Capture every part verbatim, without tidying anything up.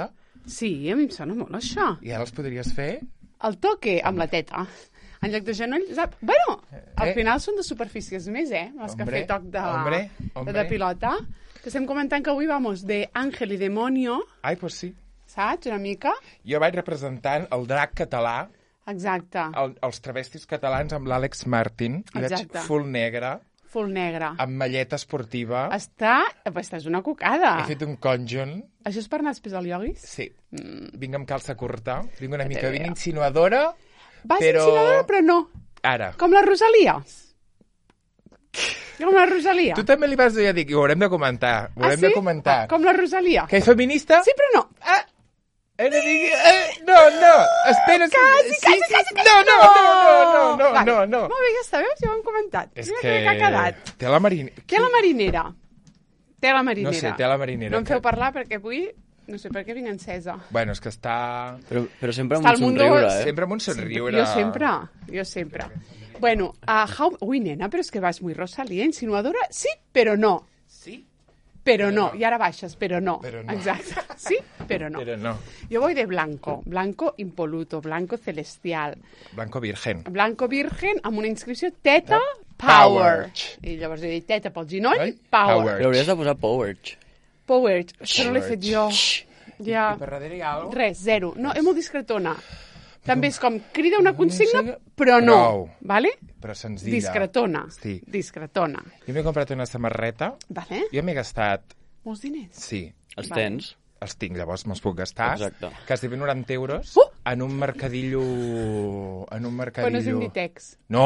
pilota? Sí, a mi em sona molt això. I ara els podries fer? El toque amb la teta. En lloc de genoll, sap? Bueno, al Eh? final són de superfícies més, eh? Les que Hombre, fer toc de, hombre, hombre. de pilota. Que estem comentant que avui vamos de Ángel i Demonio, Ai, pues sí. saps? Una mica. Jo vaig representant el drac català, Exacte. el, els travestis catalans amb l'Àlex Martín, i Exacte. vaig full negre, Full negre. amb malleta esportiva. Està... Estàs una cocada. He fet un conjunt. Això és per anar després al ioguis? Sí. Mm. Vinc amb calça curta. Vinc una Que mica te ben veo. insinuadora, Vas però... insinuadora, però no. Ara. Com la Rosalia. Com la Rosalia. Tu també li vas dir, ja dic, ho haurem de comentar. Ho ah, haurem sí? de comentar. Com la Rosalia. Que és feminista? Sí, però no. Ah! He de dir... Eh, no, no, espera... Quasi, sí, quasi, sí, quasi, sí. No, no, no, no, no, Vale. no, no. Molt bé, ja està, veus? Ja ho hem comentat. És Mira que... que ha quedat. Té la marinera. Té la marinera. Té la marinera. No sé, té la marinera. No em feu parlar perquè avui... No sé per què vinc encesa. Bueno, és que està... Però, però sempre Està amb al un mundo- somriure, eh? Sempre amb un somriure. Jo sempre, jo sempre. Bueno, a how... Ui, nena, però és que vas muy Rosalía, insinuadora. Sí, però no. Sí? Però no. I ara baixes, però no. Però no. Exacte. Sí, però no. Però no. Jo voy de blanco. Blanco impoluto, blanco celestial. Blanco virgen. Blanco virgen amb una inscripció Teta Power. Power. I llavors he dit Teta pel ginoll, Oi? Power. Power. Però hauries de posar Powerch. Power. Això no l'he fet jo. Ja. I per darrere hi ha alguna cosa? Res, zero. No, és molt discretona. També és com crida una consigna, però no. Prou. Vale? Però senzilla. Discretona. Sí. Discretona. Jo m'he comprat una samarreta. Vale? Jo m'he gastat... Molts diners. Sí. Els Vale. tens. Els tinc, llavors me'ls puc gastar. Exacte. Quasi noranta euros Uh! en un mercadillo... En un mercadillo... Però no és Inditex. No,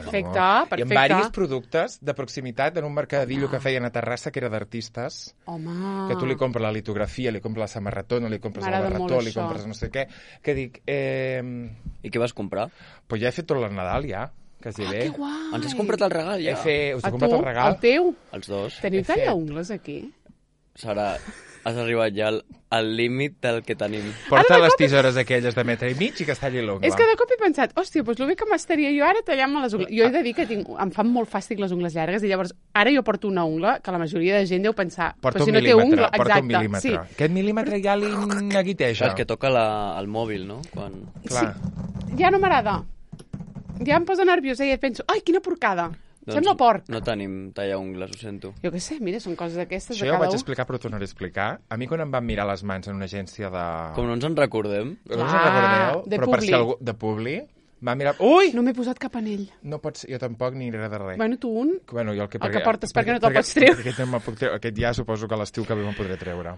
no. Perfecte, I amb perfecte. diversos productes de proximitat en un mercadillo que feien a Terrassa, que era d'artistes, Home. que tu li compres la litografia, li compres la samarretona, li compres el M'agrada molt barretó, li això. compres no sé què, que dic, eh, I què vas comprar? pues ja he fet tot el Nadal, ja, quasi Ah, bé. que guai. Ens has comprat el regal, He ja? fet, us he A tu, comprat el regal. el teu. Els dos. Teniu He fet. tallaungles aquí? Sara, has arribat ja al, al límit del que tenim. Porta Ara de les cop- tisores aquelles de metre i mig i que es talli l'ungla. És que de cop he pensat, hòstia, doncs el bé que m'estaria jo ara tallant-me les ungles. Jo he de dir que tinc, em fan molt fàstic les ungles llargues i llavors ara jo porto una ungla que la majoria de gent deu pensar, Porta però un si no té mil·límetre, ungla, porta exacte, un mil·límetre. sí. Aquest mil·límetre ja li neguiteja. Saps que toca la, el mòbil, no? Quan... Clar. Ja no m'agrada. Ja em posa nerviosa i penso, ai, quina porcada. Sembla porc. no tenim tallaungles, ho sento. Jo què sé, mira, són coses d'aquestes Això de ja ho cada vaig un. explicar, però ho tornaré a explicar. A mi quan em van mirar les mans en una agència de... Com no ens en recordem, No us en Ah, recordeu? de però per Publi. si algú... De Publi. M'ha mirat... Ui! No m'he posat cap anell. No pot ser, jo tampoc ni res de res. Bueno, tu un. Bueno, jo el que, El que portes perquè no te'l pots treure. Aquest, no me'l puc treure. Aquest ja suposo que a l'estiu que ve me'n podré treure.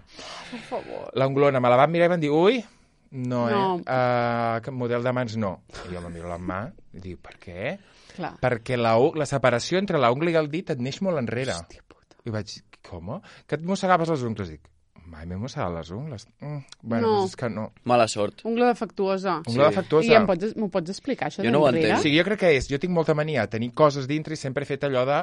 Per favor. L'anglona me la van mirar i van dir, ui, no, No. eh? Uh, que model de mans no. I jo me miro la mà i dic, per què? Clar. Perquè la, u- la separació entre l'ungla i el dit et neix molt enrere. Hòstia puta. I vaig dir, com? Que et mossegaves les ungles? Dic, mai m'he mossegat les ungles. Mm, bueno, No. doncs és que no. mala sort. Ungla defectuosa. Ungla Sí. defectuosa. I em pots, m'ho pots explicar, això Jo no ho d'enrere? entenc. Sí, jo crec que és, jo tinc molta mania a tenir coses dintre i sempre he fet allò de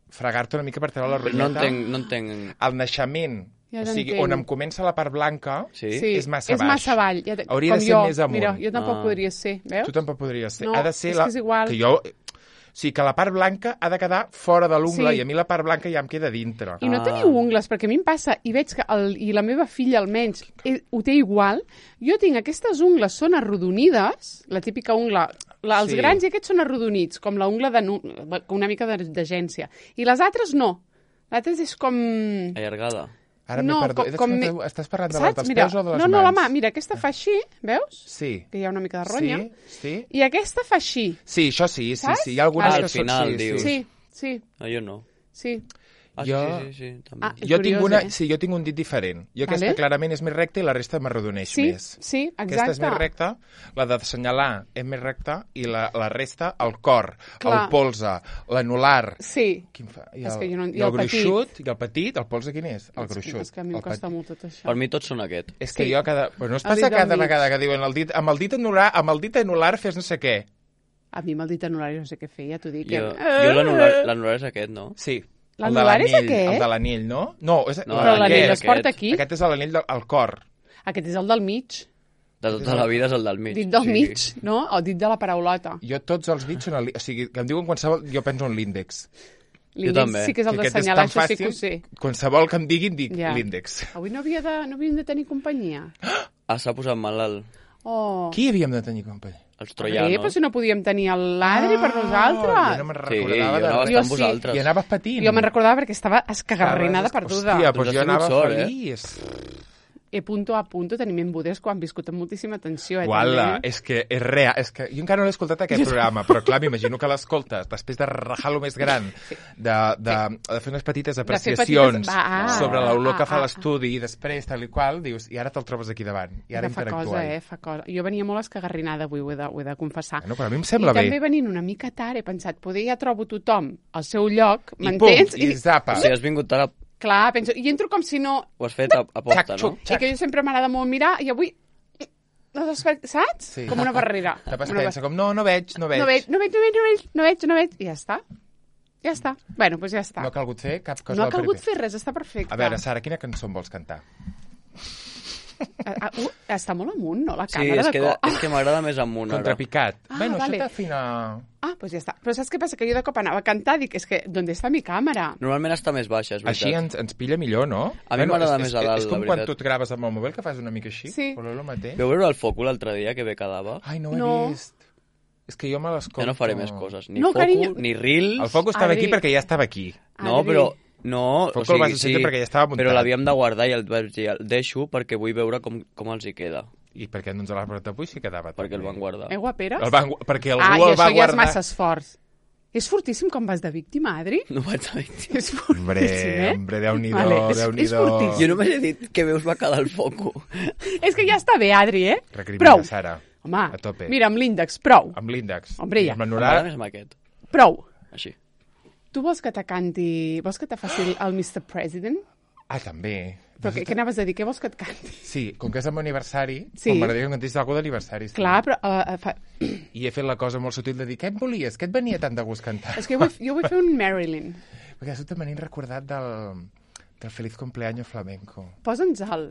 fregar-te una mica per treure la Però ronyeta. no entenc, no entenc... El naixement, Ja o sigui, t'entenc. on em comença la part blanca, Sí? Sí, és massa és baix. massa avall. Ja, te- Hauria com de ser jo. més amunt. Mira, jo tampoc Ah. podria ser, veus? tu tampoc podries ser. No, ha de ser és la... que és igual. Que jo... O sigui, que la part blanca ha de quedar fora de l'ungla Sí. i a mi la part blanca ja em queda dintre. I no Ah. teniu ungles, perquè a mi em passa, i veig que el, i la meva filla almenys eh, ho té igual, jo tinc aquestes ungles són arrodonides, la típica ungla, la, els Sí. grans i aquests són arrodonits, com la ungla de, nu- una mica de- d'agència. I les altres no. L'altres és com... Allargada. Ara no, m'he perdut. com- Com, com com me- Estàs parlant de les Saps? dels Mira, peus o de les no, mans? no, la mà, mira, aquesta fa així, veus? Sí. Que hi ha una mica de ronya. Sí, sí. I aquesta fa així. Sí, això sí, sí, Saps? sí. Hi ha algunes Ah, que al són... final, sí, dius. Sí, sí, Ah, jo no. sí. Ah, Jo- sí, sí, sí, també. Ah, és Jo tinc, curiós, una, eh? sí, jo tinc un dit diferent. Jo aquesta Vale. clarament és més recta i la resta m'arrodoneix Sí, més. sí, exacte. Aquesta és més recta, la d'assenyalar és més recta i la, la resta, el cor, Clar. el polze, l'anular... Sí. Quin fa? I És el, que jo no- i i el, el petit. gruixut, i el petit, el polze quin és? El gruixut. És que a mi em el costa petit. molt tot això. Per mi tots són aquest. És que Sí. jo cada... Però no es El passa dit del cada mig. vegada que diuen el dit, amb el dit anular, amb el dit anular fes no sé què. A mi amb el dit anular no sé què fer, ja t'ho dic. Jo, Eh? jo l'anular l'anular és aquest, no? Sí. L'anular és aquest? El de l'anell, no? No, és, No, Però l'anell aquest, es porta aquest. aquí. Aquest és l'anell del el cor. Aquest és el del mig. De tota la vida és el del mig. Dit del o sigui, mig, no? O dit de la paraulota. Jo tots els dits són... El, o sigui, que em diuen qualsevol... Jo penso en l'índex. L'índex també. sí que és el Que aquest és d'assenyalar, tan això sí que ho fàcil. sé. Qualsevol que em diguin, dic Ja. l'índex. Avui no, havia de, no havíem de tenir companyia. Ah, s'ha posat malalt. Oh. Qui havíem de tenir companyia? Els Eh, troianos. però si no podíem tenir l'Adri per nosaltres. Jo no me'n Sí, recordava. jo de anava a res. estar amb Jo sí. vosaltres. I anaves patint. Jo me'n recordava perquè estava escagarrinada Estaves- perduda. Hòstia, Doncs doncs has jo tingut anava sort, eh? feliç. E punto a punto tenim embudes quan han viscut amb moltíssima tensió. Eh, Uala, també. és que és real. És que jo encara no l'he escoltat aquest programa, però clar, m'imagino que l'escoltes després de rajar-lo més gran, de, de, de fer unes petites fer apreciacions petites- va, ah, sobre l'olor que ah, fa ah, l'estudi i després tal i qual, dius, i ara te'l trobes aquí davant. I ara Que fa interactua. cosa, eh? Fa cosa. Jo venia molt escagarrinada avui, ho he de, ho he de confessar. Bueno, però a mi em sembla I bé. també venint una mica tard he pensat, poder ja trobo tothom al seu lloc, I pum, m'entens? i zapa. O sigui, has vingut tard, a... Clar, penso, i entro com si no... ho has fet a, a posta, Xac, no? xuc. I que jo sempre m'agrada molt mirar, i avui... No saps, saps? Sí. Com una barrera. Tapes Una pensa com, no, no veig, no veig. No veig, no veig, no veig, no veig, no veig, no veig, i ja està. Ja està. Bueno, doncs ja està. No ha calgut fer cap cosa No ha del calgut primer. fer res, està perfecte. A veure, Sara, quina cançó em vols cantar? Ah, ah, uh, està molt amunt, no, la Sí, càmera és de que, cop. és que m'agrada més amunt, ara. Contrapicat. Ah, bueno, vale. això t'afina... Ah, doncs ja està. Però saps què passa? Que jo de cop anava a cantar, dic, és que, d'on està mi càmera? Normalment està més baixa, és veritat. Així ens, ens pilla millor, no? A mi m'agrada és- més és a que- dalt, És com la quan veritat. tu et graves amb el mòbil, que fas una mica així. Sí. Voleu el mateix? Veu veure el foco l'altre dia, que bé quedava? Ai, no ho he No. vist. És que jo me l'escolto. Ja no faré més coses. Ni No, foco, carinyo. ni reels... El foco estava Adri. aquí perquè ja estava aquí. No, Adri. però... No, Foco o sigui, el vas encendre perquè ja estava muntat. Però l'havíem de guardar i el vaig dir, el deixo perquè vull veure com, com els hi queda. I per què no ens l'has portat avui si quedava Perquè el també? van guardar. Eh, guaperes? El van, gu- perquè algú ah, i el va això ja és guardar. massa esforç. És fortíssim com vas de víctima, Adri? No vaig a dir. És fortíssim, Hombre, eh? hombre, Déu-n'hi-do, Vale, és- és Déu-n'hi-do. fortíssim. Jo només he dit que veus va quedar el foco. És que ja està bé, Adri, eh? Recrimina, Prou. Sara. Home, A tope. mira, amb l'índex, prou. Amb l'índex. Hombre, ja. I amb M'agrada l'anorat. més amb aquest. Prou. Així. Tu vols que te canti... Vols que te faci el- el mister President? Ah, també. Però què, què anaves a dir? Què vols que et canti? Sí, com que és el meu aniversari, Sí. sí. m'agradaria que em cantis alguna d'aniversari. Sí. Clar, però... Uh, uh, fa... I he fet la cosa molt sutil de dir, què et volies? Què et venia tant de gust cantar? És que jo vull, jo vull fer un Marilyn. Perquè això també m'he recordat del, del Feliz Cumpleaños Flamenco. Posa'ns el...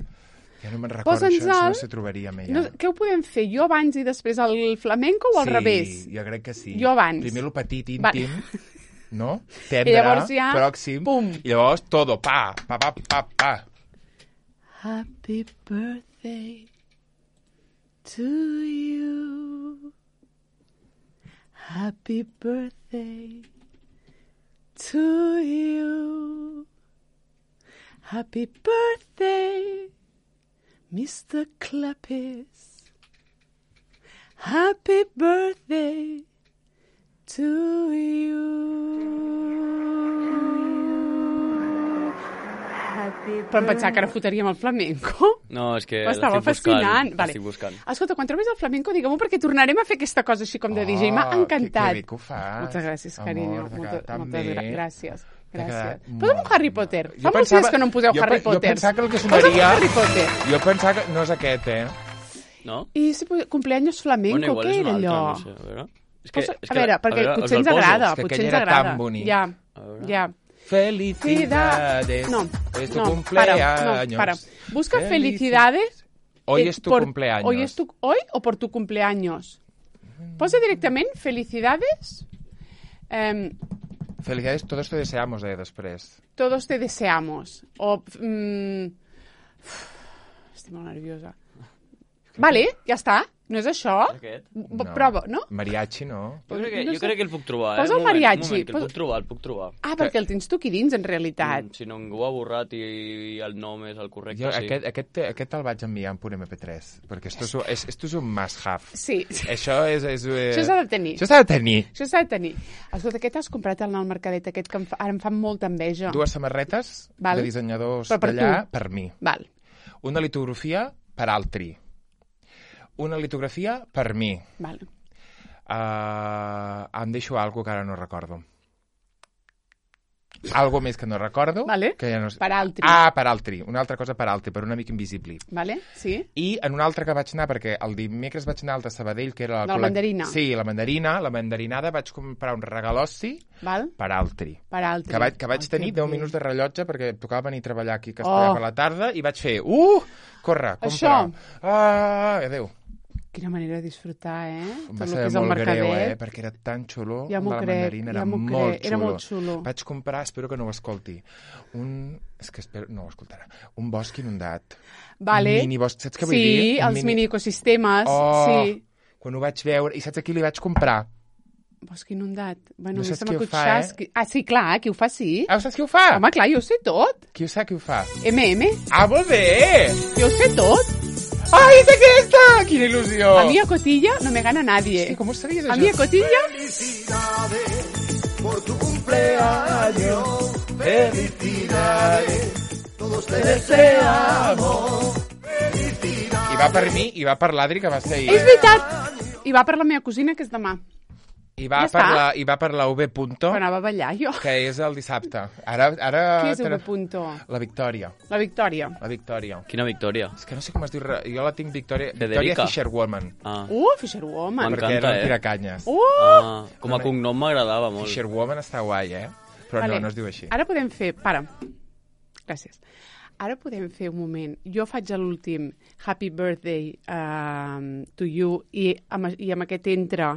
Ja no me'n recordo, Posa'ns això, això el- no s'hi trobaria mai. No, què ho podem fer? Jo abans i després el flamenco o al sí, revés? jo crec que sí. Jo abans. Primer el petit, íntim, Vale. no? Tendre, llavors ja, pròxim, pum. i llavors todo, pa, pa, pa, pa, pa. Happy birthday to you. Happy birthday to you. Happy birthday, mister Clappis. Happy birthday to you. Happy Però em pensava que ara fotaríem el flamenco. No, és que Ho estava l'estic buscant. fascinant. Vale. L'estic buscant. Escolta, quan trobis el flamenco, digue-m'ho perquè tornarem a fer aquesta cosa així com de D J. M'ha Oh, encantat. Que, que bé que ho fas. Moltes gràcies, amor, carinyo. t'ha Moltes, quedat tan moltes bé. gra gràcies. T'ha Gràcies. quedat Posa'm un molt Harry bé. Potter. Jo Fa molts pensava- dies que no em poseu jo Harry pe- jo Potter. pensava que el que Posa'm un sonaria- Harry Potter. Jo pensava que no és aquest, eh? No? I si posa- cumpleaños flamenco, Bueno, igual què és era un altre, allò? no sé, a veure. És Posa, és a veure, a perquè veure, potser us ens el poso? agrada, És que potser aquell ens era agrada. tan bonic. Ja, A veure. ja. Felicidades. No, Hoy es tu no, cumpleaños. para, no, para. Busca Felici- felicidades. Hoy eh, es tu por- cumpleaños. Hoy es tu, hoy o por tu cumpleaños. Posa directament felicidades. Eh, Felicidades, todos te deseamos, eh, després. todos te deseamos. O... Mm, estic molt nerviosa. Vale, ja està. No és això? Aquest? B- Prova, no? Mariachi, no? Jo crec, que, No jo sé. crec que el puc trobar, eh? Posa el Un moment, mariachi, Un moment, que el posa- puc trobar, el puc trobar. Ah, perquè el tens tu aquí dins, en realitat. Mm, si no, ningú ha borrat i, i el nom és el correcte, Jo sí. aquest, aquest, aquest el vaig enviar en punt eme pe tres, perquè esto és, un- és, esto és un must-have. Sí. Això és... és eh... Això s'ha de tenir. Això s'ha de tenir. Això s'ha de tenir. Escolta, què t'has comprat al mercadet aquest que em fa, ara em fa molta enveja? Dues samarretes Val. de dissenyadors Però per d'allà tu. per mi. Val. Una litografia per altri. Una litografia per mi. Val. Uh, em deixo algo que ara no recordo. Algo més que no recordo. Vale. Que ja no... sé. Per altri. Ah, per altri. Una altra cosa per altri, per un amic invisible. Vale? Sí? I en un altre que vaig anar, perquè el dimecres vaig anar al de Sabadell, que era... De la mandarina. Sí, la mandarina. La mandarinada vaig comprar un regalossi Val? per altri. Per altri. Que vaig, que vaig Oh, tenir que deu bé. minuts de rellotge perquè tocava venir a treballar aquí a Oh. Castellà per la tarda i vaig fer, uh, corre, compra. Això. Ah, adéu. Quina manera de disfrutar, eh? Em Tot va el ser que és el molt greu, mercadet. eh? Perquè era tan xulo. Ja m'ho la crec, mandarina era ja m'ho molt crec, xulo. era molt xulo. Vaig comprar, espero que no ho escolti, un... És que espero... No ho escoltarà. Un bosc inundat. Vale. Un mini bosc, saps què vull sí, dir? Sí, Un els mini... mini ecosistemes, Oh, sí. Quan ho vaig veure... I saps a qui li vaig comprar? Bosc inundat. Bueno, No saps se m'ha qui ho acudit fa, eh? xasqui- Ah, sí, clar, qui ho fa, sí. Ah, saps qui ho fa? Home, clar, jo ho sé tot. Qui ho sap qui ho fa? eme eme, Ah, molt bé! jo ho sé tot. Ai, és aquesta! Quina il·lusió! A mi a Cotilla no me gana nadie. Sí, com ho sabies, A això? mi a Cotilla... Felicidades por tu cumpleaños. Felicidades, todos te deseamos. I va per mi, i va per l'Adri, que va ser ahir. És veritat! I va per la meva cosina, que és demà. I va, Ja per està. la, I va per la U B Punto, Però anava a ballar, jo. que és el dissabte. Ara... ara Qui és tra- el punto? La Victòria. La Victòria. La Victòria. Quina victòria. És que no sé com es diu... re- Jo la tinc Victòria... Federica. Victòria Fisherwoman. Ah, Uh, Fisherwoman. M'encanta. Perquè era un eh? tiracanyes. Uh! ah com a cognom m'agradava molt. Fisherwoman està guai, eh? Però Vale. no, no es diu així. Ara podem fer... Para. Gràcies. Ara podem fer un moment. Jo faig l'últim Happy Birthday um, to you i amb, i amb aquest entra...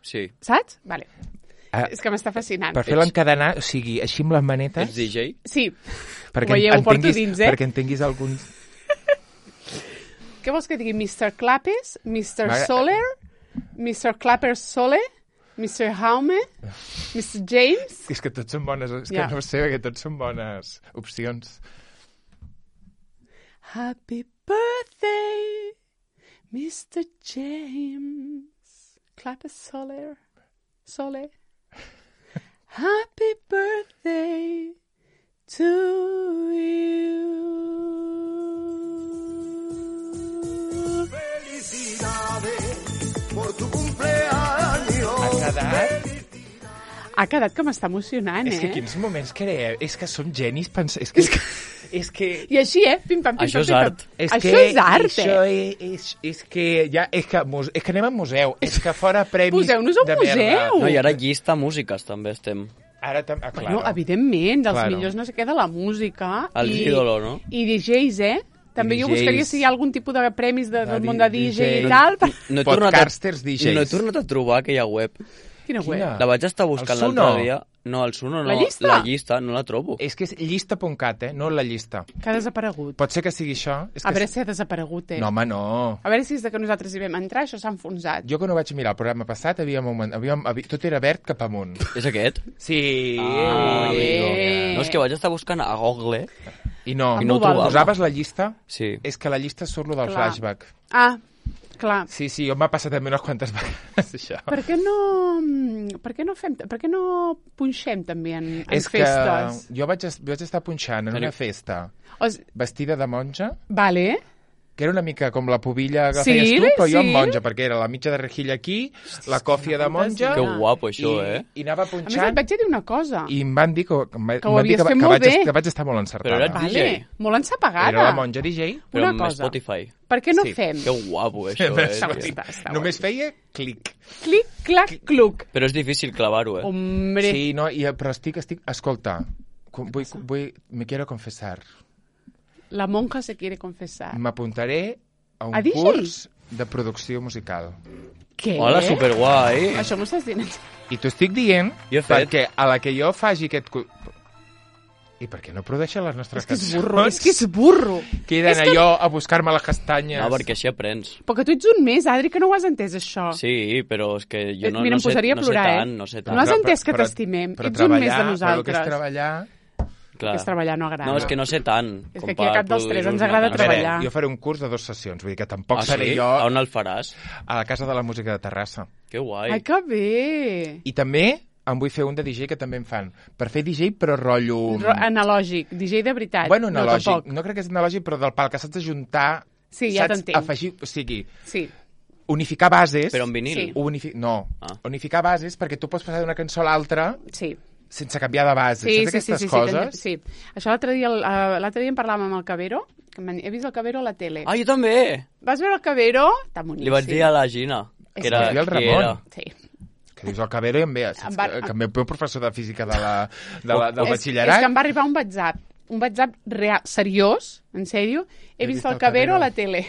Sí. Saps? Vale. Ah, És que m'està fascinant. per fer l'encadenar, o sigui, així amb les manetes... Ets D J? Sí. perquè Ho veieu, ho porto entenguis, dins, eh? Perquè entenguis alguns... Què vols que digui? mister Clappes? mister M'agrada- Soler? mister Clapper Sole? mister Jaume? mister James? És que tots són bones... És que Ja. no ho sé, perquè tots són bones opcions. Happy birthday, mister James. Clapper Soler. Sole. Happy birthday to you. Felicidades por tu cumpleaños. Ha quedat... Ha quedat que m'està emocionant, És que eh? quins moments creeu? És que som genis pensant... És que... És que... I així, eh? Pim, pam, pim, Això pam, és pim, pam. art. És Això que és art, això eh? és, és, és que ja, és que, muse, és que anem a museu, és que fora premis Poseu-nos a un de merda. museu. No, i ara llista músiques també estem. Ara tam... ah, Bueno, claro. evidentment, dels Claro. millors no sé què de la música. El i, ídolo, no? I D Js, eh? També I jo D Js. buscaria si hi ha algun tipus de premis de, De del D- món de D J i D J. tal. per- No he tornat a, Podcasters D Js. no he tornat a trobar aquella web. Quina web? Quina? La vaig estar buscant El Suno? l'altre dia. No, el Suno no. La llista? La llista, no la trobo. És que és llista punt cat, eh? No la llista. Que ha desaparegut. Pot ser que sigui això? És A que... veure si ha desaparegut, eh? No, home, no. A veure si és de que nosaltres hi vam entrar, això s'ha enfonsat. Jo quan ho vaig mirar el programa passat, havíem, augment... havíem... haví... tot era verd cap amunt. És aquest? Sí. Ah, bé. amigo. No, és que vaig estar buscant a Google. I no, Amb I no ho val. posaves la llista? Sí. És que la llista surt lo del Clar. flashback. Ah, clar. Sí, sí, jo m'ha passat també unes quantes vegades, això. Per què no... Per què no fem... Per què no punxem també en, en És festes? que jo vaig, es- vaig estar punxant en Teniu- una festa O s- vestida de monja, Vale. que era una mica com la pubilla que Sí, feies tu, però jo sí. amb monja, perquè era la mitja de rejilla aquí, la còfia de monja, Que Ah. guapo, això, i, eh? i anava A més, et punxant, vaig dir una cosa. i em van dir que, que, em va- Que ho em van dir havies que, va- fet que, molt vaig, bé. que vaig estar molt encertada. Però era Vale. D J. Molt ensapagada. Era la monja D J. Però Una amb cosa. Spotify. Per què no Sí. fem? Que guapo, això, eh? Està- tio. està- està Només guai. feia clic. Clic, clac, cluc. Però és difícil clavar-ho, eh? Hombre. Sí, no, i, però estic, estic... Escolta, com- vull, vull, me quiero confessar. La monja se quiere confessar. M'apuntaré a un A D J? curs de producció musical. Què? Hola, superguai. Això m'ho estàs dient? I t'ho estic dient Jo he fet. perquè a la que jo faci aquest... cu- I per què no produeixen les nostres És que és cançons? burro, és que és burro. Queden És que- allò a buscar-me les castanyes. No, perquè així aprens. Però que tu ets un més, Adri, que no ho has entès, això. Sí, però és que jo no, Mira, no, em sé, posaria a no plorar, sé eh? tant, no sé tant. No has Però- entès que però- t'estimem. però Ets un més de treballar, nosaltres. Però el que és treballar... Clar. Que és treballar no agrada. No, és que no sé tant. És com que aquí a per cap dels tres produir ens una agrada cançó. A veure, treballar. jo faré un curs de dues sessions, vull dir que tampoc Ah, seré sí? jo A on el faràs? a la Casa de la Música de Terrassa. Que guai. Ai, que bé. I també em vull fer un de D J que també em fan. Per fer D J, però rotllo... Ro analògic, D J de veritat. Bueno, no, analògic. tampoc. No, crec que és analògic, però del pal que saps ajuntar... Sí, ja saps t'entenc. afegir... O sigui, Sí, unificar bases... Però en vinil? Sí. Unifi... No, Ah. unificar bases perquè tu pots passar d'una cançó a l'altra sí. sense canviar de base. Sí, Saps sí, sí, aquestes sí, sí, coses? t'entenc, sí. Això l'altre dia, el- eh, l'altre dia en parlàvem amb el Cabero, que m'han- he vist el Cabero a la tele. Ah, jo també! Vas veure el Cabero? Està boníssim. Li vaig dir a la Gina. És Que era, que- el qui Ramon. era. Sí. Que dius el Cabero i em ve... Saps Em va- que, que el meu professor de física de la, de la, del És, batxillerat... és que em va arribar un WhatsApp, un WhatsApp real, seriós, en sèrio. He, vist, el Cabero a la tele.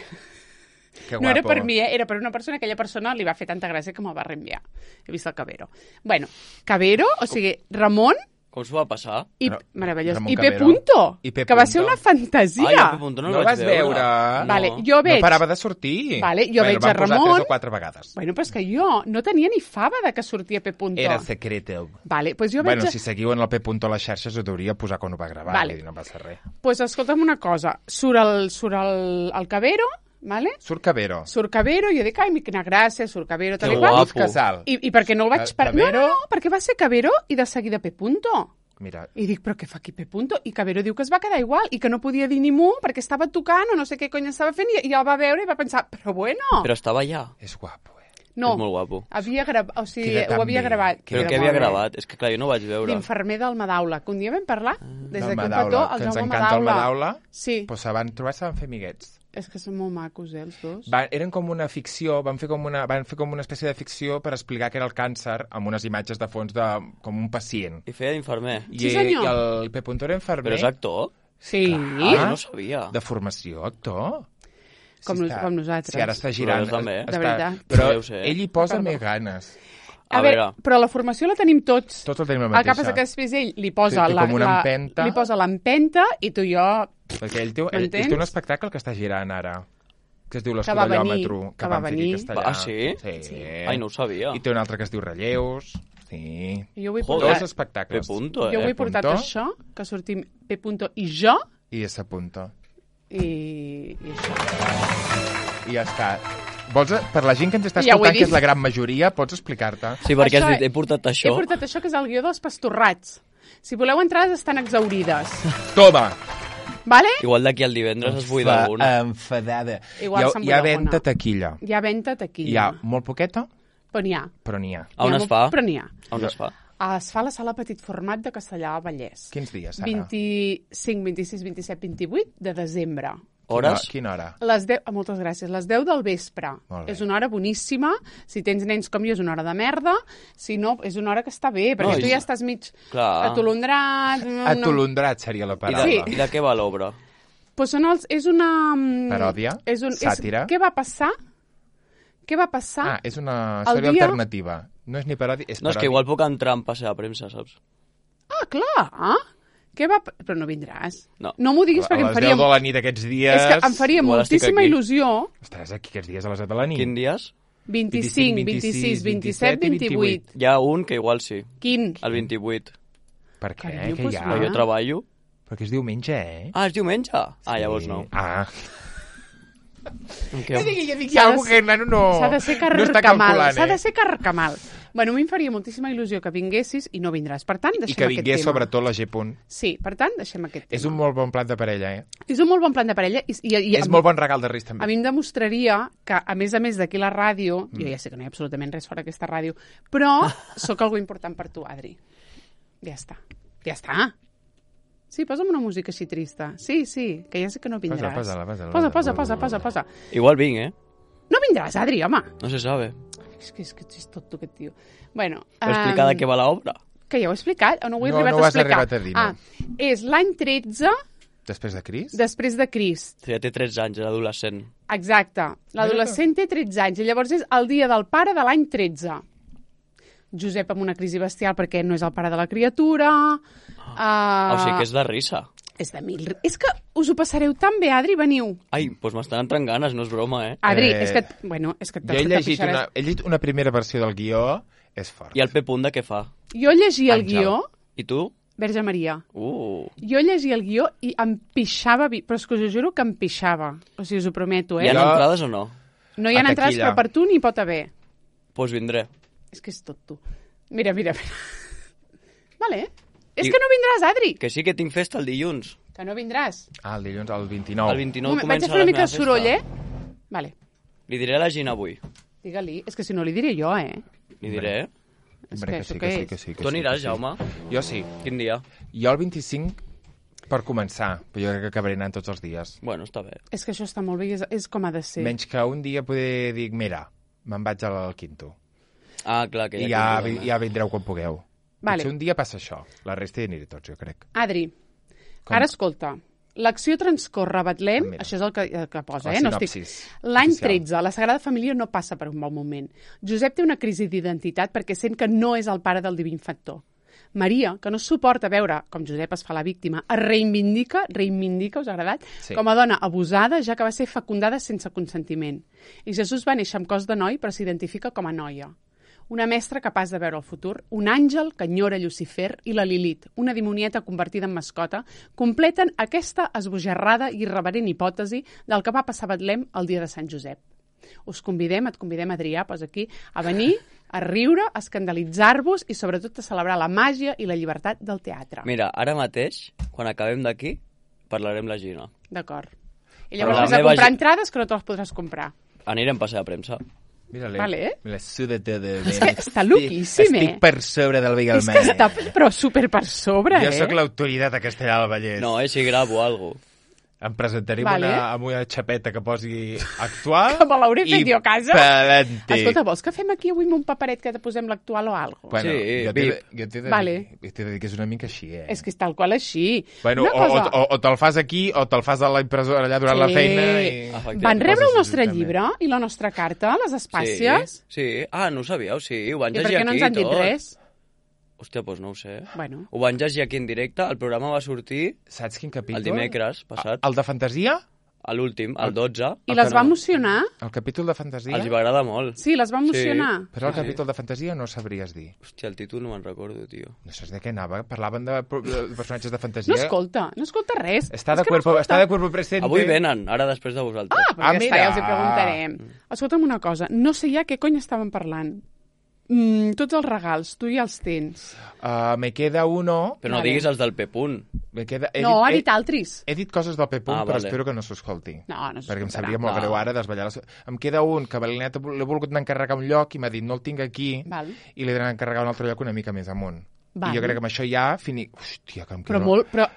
Que No era guapo. per mi, eh? Era per una persona, aquella persona li va fer tanta gràcia que me'l va reenviar. He vist el Cabero. Bueno, Cabero, o sigui, Ramon Com s'ho va passar? i... Ra- Meravellós. Ramon I P. Cabero. Punto, I P. que va ser Punto. una fantasia. Ai, el P. Punto no, No el vas vaig veure. veure? Vale, No. jo veig... No parava de sortir. Vale, jo bueno, veig van a posar Ramon- tres o quatre vegades. Bueno, però és que jo no tenia ni fava de que sortia P. Punto. Era secreto. Vale, doncs jo veig... Bueno, si seguiu en el P. Punto a les xarxes ho deuria posar quan ho va gravar, Vale. vull dir, no passa res. pues escolta'm una cosa, surt el, surt el, el Cabero, vale? Surt Cabero. Surt Cabero, jo dic, ai, quina gràcia, surt Cabero, tal Que i qual. guapo. Casal. I, I perquè no el vaig... Ca- Per... No, Cabero? no, no, perquè va ser Cabero i de seguida P. Punto. Mira, I dic, però què fa aquí P. Punto? I Cabero diu que es va quedar igual i que no podia dir ni mu perquè estava tocant o no sé què cony estava fent i, i el va veure i va pensar, però bueno... Però estava allà. és guapo, eh? no, És molt guapo. havia gravat, o sigui, Queda tan ho havia bé. gravat. Però Queda què havia molt bé. gravat? És que clar, jo no ho vaig veure. L'infermer del Madaula, que un dia vam parlar, des Del d'aquí un Madaula, petó, el que ens Jaume encanta el Madaula. Madaula. Sí, Pues se van trobar, se van fer amiguets. és que són molt macos, eh, els dos. Va, eren com una ficció, van fer com una, van fer com una espècie de ficció per explicar què era el càncer amb unes imatges de fons de, com un pacient. I feia d'infermer. I, Sí, senyor. I el P. Punto era infermer. Però és actor? Sí, Ah, jo no ho sabia. De formació, actor. Com nos- com nosaltres. Si ara està girant. Però també. Està, De veritat. Però Ja ho sé. ell hi posa Perdó. més ganes. a, A veure, veure. però la formació la tenim tots. Tots el tenim la El que mateixa. passa que després ell li posa, Té- té la, com una la, empenta. li posa l'empenta i tu i jo... Perquè ell té, ell, ell M'entens? té un espectacle que està girant ara, que es diu Que va venir, l'escudellòmetre, que va van fer venir. aquí a Castellà. Ah, sí? Sí. sí. Ai, no ho sabia. I té un altre que es diu Relleus. Sí. Jo vull Joder. Dos portar, P. espectacles. Punto, jo eh? vull portar Punto. això, que sortim P. Punto i jo, I ese punto. i, i això. I ja està. Vols, per la gent que ens està Ja ho he escoltant, que dit. és la gran majoria, pots explicar-te? Sí, perquè Això has dit, he- he portat això. He portat això, que és el guió dels pastorrats. Si voleu entrades, estan exaurides. Toma! Vale? Igual d'aquí al divendres es buida alguna. Enfadada. Igual hi ha, se'n hi ha buida venda alguna. taquilla. Hi ha venta taquilla. Hi ha molt poqueta, Però n'hi ha. però n'hi ha. A on Hi ha es molt- fa? Però n'hi ha. On es fa? Es fa a la sala Petit Format de Castellà al Vallès. Quins dies, Sara? vint-i-cinc, vint-i-sis, vint-i-set, vint-i-vuit de desembre. Hores? Quina hora? Les deu, ah, moltes gràcies. Les deu del vespre. Molt bé. És una hora boníssima. Si tens nens com jo, és una hora de merda. Si no, és una hora que està bé, perquè No, tu i- ja estàs mig Clar. atolondrat. una- Atolondrat seria la I de, paraula. Sí. I de què va l'obra? Pues són els, és una... mm, Paròdia? És un, Sàtira? És, què va passar? Què va passar? Ah, és una El història dia- alternativa. No és ni paròdia, és No, és paròdia. que igual puc entrar en passe de premsa, saps? Ah, clar. Ah? Què va... Però no vindràs. No. No m'ho diguis A perquè em les faria... deu de la nit aquests dies... És que em faria Igual estic moltíssima aquí. il·lusió. Estaràs aquí aquests dies a les deu de la nit. Quin dies? vint-i-cinc, vint-i-sis, vint-i-set, vint-i-vuit. Hi ha un que igual sí, Quin? el vint-i-vuit. Per què? Carinyo, Què pues hi ha? va. Però jo treballo. Perquè és diumenge, eh? Ah, és diumenge? Ah, llavors no. Ah. Em Jo quedo- dic, jo dic, hi S'ha ha de algú ser- que el nano no... S'ha de ser no està carcamal. calculant, S'ha de eh? ser carcamal. Bueno, a mi em faria moltíssima il·lusió que vinguessis i no vindràs. Per tant, deixem I que aquest vingués tema. sobretot la G. Punt. Sí, per tant, deixem aquest tema. És un molt bon plat de parella, eh? És un molt bon plan de parella i, i, i És molt bon regal de Reis, a també. mi em demostraria que, a més a més d'aquí la ràdio, jo ja sé que no hi ha absolutament res fora aquesta ràdio, però sóc algú important per tu, Adri. Ja està. Ja està. Sí, posa'm una música així trista. Sí, sí, que ja sé que no vindràs. posa-la, posa-la, Posa, posa-la. posa, posa, posa, posa. Igual vinc, eh? No vindràs, Adri, home. No se sabe. És que és que és tot tu, aquest tio. Bueno, Però explicar de em, què va l'obra. que ja ho he explicat, o no ho he No, arribat no ho a has explicar? arribat a dir, no. Ah, és l'any tretze Després de Cris? després de Crist. Ja té tretze anys, era adolescent. Exacte. L'adolescent té tretze anys i llavors és el dia del pare de l'any tretze. Josep amb una crisi bestial perquè no és el pare de la criatura. Uh, Ah, o sigui que és de risa. És de mil... És que us ho passareu tan bé, Adri, veniu. Ai, doncs m'estan entrant ganes, no és broma, eh? Adri, Eh, és que... Bueno, és que Jo he llegit, una, he llegit una primera versió del guió, és fort. I el P. Punt de què fa? Jo llegia el Àngel. guió, I tu? Verge Maria, Uh, jo llegia el guió i em pixava, vi- però és que us ho juro que em pixava. O sigui, us ho prometo, hi eh? ha Jo- entrades o no? No hi ha a entrades, taquilla. però per tu n'hi pot haver. Doncs pues vindré. És que és tot tu. Mira, mira, mira. Vale. És I- que no vindràs, Adri. Que sí que tinc festa el dilluns. Que no vindràs. Ah, el dilluns, el vint-i-nou. El vint-i-nou Un moment, vaig comença a fer una la mica meva de soroll, festa. eh? Vale. Li diré a la Gina avui. Digue-li. És que si no li diré jo, eh? Li diré. És Hombre, que que això sí, què que sí, és? que sí. Que Tu sí, aniràs, que sí. Jaume? Jo sí. Quin dia? Jo el vint-i-cinc per començar, però jo crec que acabaré anant tots els dies. Bueno, està bé. És que això està molt bé i és, és com ha de ser. Menys que un dia poder dir, mira, me'n vaig al quinto. Ah, clar, que I ja... ja, vi- ja vindreu quan pugueu. Vale. Potser un dia passa això. La resta hi aniré tots, jo crec. Adri, Com? ara escolta. L'acció transcorre a Betlem, Mira. això és el que, el que posa, La eh? No estic... sinopsis L'any oficial. tretze, la Sagrada Família no passa per un bon moment. Josep té una crisi d'identitat perquè sent que no és el pare del divin factor. Maria, que no suporta veure com Josep es fa la víctima, es reivindica, reivindica, us ha agradat, Sí. com a dona abusada, ja que va ser fecundada sense consentiment. I Jesús va néixer amb cos de noi, però s'identifica com a noia. Una mestra capaç de veure el futur, un àngel que enyora Lucifer i la Lilith, una dimonieta convertida en mascota, completen aquesta esbojarrada i irreverent hipòtesi del que va passar a Betlem el dia de Sant Josep. Us convidem, et convidem, Adrià, posa aquí, a venir, a riure, a escandalitzar-vos i sobretot a celebrar la màgia i la llibertat del teatre. Mira, ara mateix, quan acabem d'aquí, parlarem la Gina. D'acord. I Però llavors la vés a meva comprar gi- entrades que no te les podràs comprar. Anirem a passeig de premsa. Mira-li. Vale. Me la suda tota. És que està loquíssim, eh? Estic per sobre del És Beagle que està però super per sobre, Jo eh? sóc l'autoritat a Castellà del Vallès. No, eh, si gravo alguna cosa. Em presentaré Vale. vale. una, amb una xapeta que posi actual Que me l'hauré fet i jo a casa. pelante. Escolta, vols que fem aquí avui amb un paperet que te posem l'actual o alguna cosa? Bueno, Sí, jo t'he de, Vip. jo t'he de, Vale. dir, t'he de dir que és una mica així, eh? És que és tal qual així. Bueno, Una o, cosa... o, o te'l fas aquí o te'l fas a la impressora allà durant Sí. la feina i... Efectivament. Van rebre el Coses nostre així, llibre i la nostra carta, les espàcies? Sí, sí. Ah, no ho sabíeu? Sí, ho van I per llegir què no aquí ens han dit tot. res? Hòstia, doncs no ho sé. Bueno, Ho van llegir aquí en directe, el programa va sortir Saps quin capítol? el dimecres passat, El de fantasia? a l'últim, el dotze. i El les que va no. emocionar? El capítol de fantasia? Els va agradar molt. Sí, les va emocionar. Però el Sí. capítol de fantasia no sabries dir. Hòstia, el títol no me'n recordo, tio. No saps de què anava? Parlaven de, de personatges de fantasia. No escolta, no escolta res. Està És de, que cuerpo, no està de cuerpo presente. Avui venen, ara després de vosaltres. Ah, però Ah, ja està, mira. ja els hi preguntarem. Escolta'm una cosa, no sé ja què cony estaven parlant. Mm, tots els regals, tu ja els tens. Uh, me queda uno... Però no Vale. diguis els del P-Punt. Me queda... he No, ha he- dit altres. He dit coses del P-Punt, Ah, però vale. espero que no s'escolti. No, no Perquè em s'escoltarà. sabria molt Clar. greu ara desballar les... Em queda un que l'he l'he volgut anar a encarregar a un lloc i m'ha dit no el tinc aquí Val. i l'he d'anar a encarregar a un altre lloc una mica més amunt. Val. I jo crec que amb això ja fini... Hòstia, que em queda, Però molt... Però...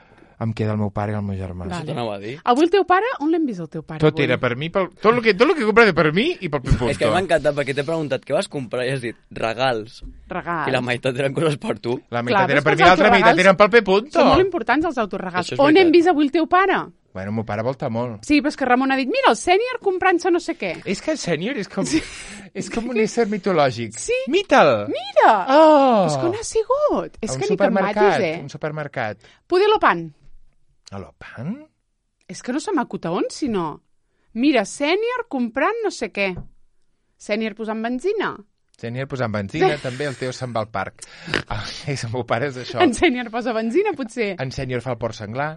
em queda el meu pare i el meu germà. Vale. Això t'anava a dir. Avui el teu pare, on l'hem vist el teu pare? Tot avui? era per mi, pel... tot, el que, tot el que he comprat era per mi i pel P-Punt. És que m'ha encantat perquè t'he preguntat què vas comprar i has dit regals. Regals. I la meitat eren coses per tu. La Clar, meitat però era és per que mi, els l'altra meitat autoregals eren pel P-Punt. Són molt importants els autoregals. Això és On veritat. hem vist avui el teu pare? Bueno, el meu pare volta molt. Sí, però és que Ramon ha dit, mira, el sènior comprant-se no sé què. És que el sènior és com, sí. és com un ésser mitològic. Sí. Mita'l! Mira! Oh! És que on ha sigut? És A un que ni que em supermercat, matis, eh? un supermercat. Poder l'opan. A l'Opan? És que no se m'acuta on, si no. Mira, sènior comprant no sé què. Sènior posant benzina. Sènior posant benzina, també el teu se'n va al parc. Ah, és el meu pare és això. En sènior posa benzina, potser. En sènior fa el port senglar.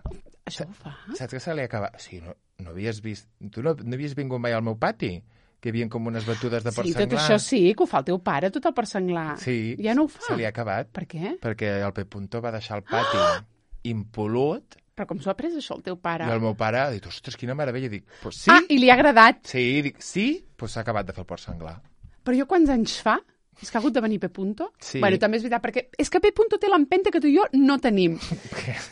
Això ho fa? Saps que se li acaba... Sí, no, no havies vist... Tu no, no havies vingut mai al meu pati? Que hi havia com unes batudes de port Sí, senglar. tot això sí, que ho fa el teu pare, tot el per senglar. Sí, Ja no ho fa. se li ha acabat. Per què? Perquè el P-Punto va deixar el pati impolut Però com s'ho ha pres això, el teu pare? i el meu pare ha dit, ostres, quina meravella. I dic, pues sí, Ah, i li ha agradat. sí, dic, sí, pues s'ha acabat de fer el port senglar. Però jo quants anys fa? És que ha hagut de venir P. Punto? Sí. Bueno, també és veritat, perquè és que P. Punto té l'empenta que tu i jo no tenim.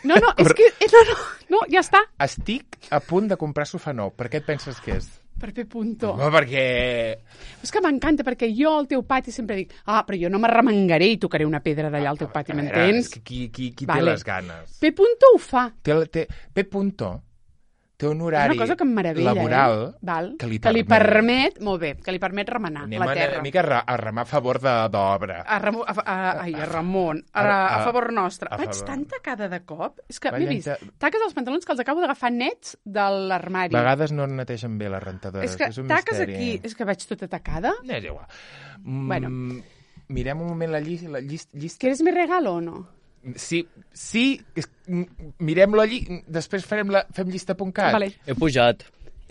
No, no, és que... eh, No, no, no, ja està. Estic a punt de comprar sofà nou. Per què et penses que és? Per P. Punto. No, perquè... És que m'encanta, perquè jo al teu pati sempre dic ah, però jo no m'arremengaré i tocaré una pedra d'allà al teu pati, A veure, m'entens? és que qui, qui, qui Vale. té les ganes? P. Punto ho fa. Té, el- té, P. Punto té un És horari una cosa que em meravella, laboral eh? Val. que li que li permet. permet, molt bé, que li permet remenar Anem la a, terra. una mica a, ra- a remar a favor de- d'obra. A, Ramon, a, a, ai, a Ramon, a, A- a, a- favor nostre. a Vaig favor. tan tacada de cop. És que Vaig m'he vist entrar- taques dels pantalons que els acabo d'agafar nets de l'armari. A vegades no netegen bé les rentadores. És que és un taques misteri. aquí... És que vaig tota tacada. No, és igual. Mm, Bueno. Mirem un moment la, llis, la llis, llista. ¿Quieres mi regalo o no? Sí, sí, és- mm, mirem la lli... Després farem la, fem llista.cat. Vale. He pujat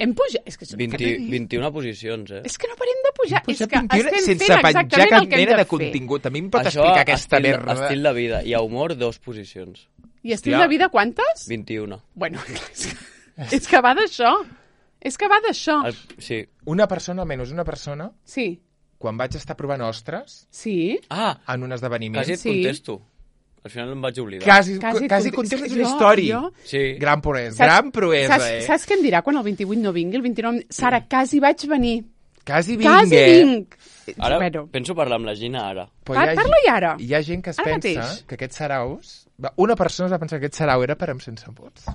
Hem pujat... És que, vint, vint-i-una posicions, eh? és que no parem de pujar. És que Pintura estem sense fent penjar exactament cap el que hem mena de de fer. contingut. A mi em pot Això, explicar aquesta estil, merda? estil de vida. I a humor, dos posicions. I estil Hòstia. de vida, quantes? vint-i-una. Bueno, és que, és que va d'això. És que va d'això. El, sí. Una persona, almenys una persona, Sí, quan vaig estar provant ostres sí. Ah, en un esdeveniment, quasi et Sí. contesto. Al final em vaig oblidar. quasi, Quasi quasi, et quasi contesto. contestes una Jo- història. jo- Sí. Gran proesa, Saps- gran proesa, saps, eh? saps què em dirà quan el vint-i-vuit no vingui? El vint-i-nou... Sara, quasi vaig venir. Quasi vinc, Quasi eh? vinc. Ara Bueno, penso parlar amb la Gina ara. Però par hi ha parla-hi ara. Hi ha gent que es Ara pensa mateix. que aquests saraus... Va, una persona es va pensar que aquest sarau era per amb sense vots.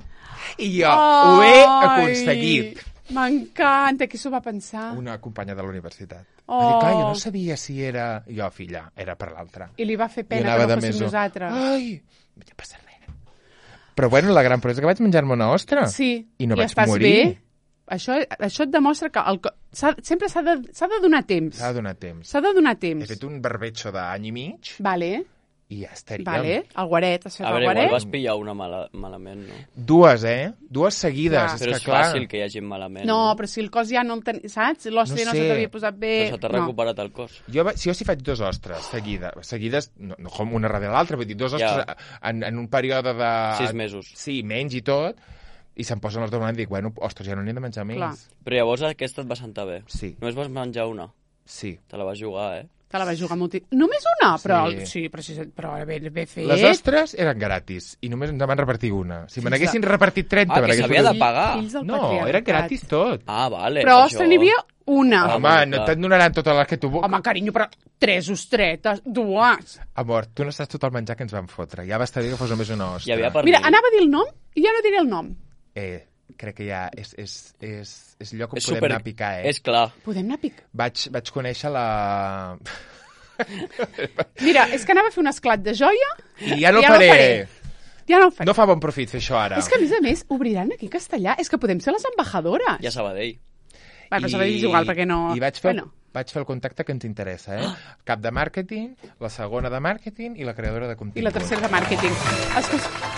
I jo ho he aconseguit. M'encanta. Qui s'ho va pensar? Una companya de la universitat. Oh. Va dir, clar, jo no sabia si era... Jo, filla, era per l'altra. I li va fer I pena anava que no de fóssim meso. nosaltres. Ai, no passa res. Però bueno, la gran proesa que vaig menjar-me una ostra. Sí, I no i vaig estàs morir. bé. Això, això et demostra que el, co- s'ha, sempre s'ha de, s'ha de donar temps. S'ha de donar temps. S'ha de donar He temps. fet un barbecho d'any i mig Vale, i ja estaríem. vale. El guaret, has fet A el veure, igual guaret. vas pillar una mala, malament, no? Dues, eh? Dues seguides. Clar. És Però que, és clar, fàcil que hi hagi malament. No, però si el cos ja no el ten... Saps? L'hòstia No no, sé. se t'havia posat bé. Però se t'ha no. recuperat el cos. Jo, va- si jo si faig dos ostres seguides, seguides no, no com una darrere l'altra, vull dir, dos ostres Ja. en, en un període de... Sis mesos. Sí, menys i tot, i se'm posen els dos i dic, bueno, ostres, ja no n'he de menjar més. Clar. Però llavors aquesta et va sentar bé. Sí, Només vas menjar una. sí. Te la vas jugar, eh? Te la vas jugar molt... Només una? Però Sí. sí, però, sí, però ben, ben fet. Les ostres eren gratis i només ens en van repartir una. Si me Fills n'haguessin repartit trenta... Ah, me que n'hagués s'havia de fotut- pagar. Fills del No, patriarcat. era gratis tot. Ah, vale. Però, per ostres, això. n'hi havia una. Ah, Home, bueno, no clar. te'n donaran totes les que tu... Home, carinyo, però tres ostretes, dues. Amor, tu no saps tot el menjar que ens van fotre. Ja va estar bé que fos només una ostra. Hi havia per Mira, mi. anava a dir el nom i ja no diré el nom. Eh, crec que ja és, és, és, és lloc on És podem super... anar a picar, eh? És clar. Podem anar a pic. Vaig, vaig conèixer la... Mira, és que anava a fer un esclat de joia I ja no Ja no faré. faré. ja no ho faré. No fa bon profit fer això ara. És que, a més a més, obriran aquí a Castellà. És que podem ser les embajadores. Ja Sabadell. Va, però Sabadell és igual, perquè no... I vaig fer, Bueno, vaig fer el contacte que ens interessa, eh? Cap de màrqueting, la segona de màrqueting i la creadora de contingut. i la tercera de màrqueting. Escolta,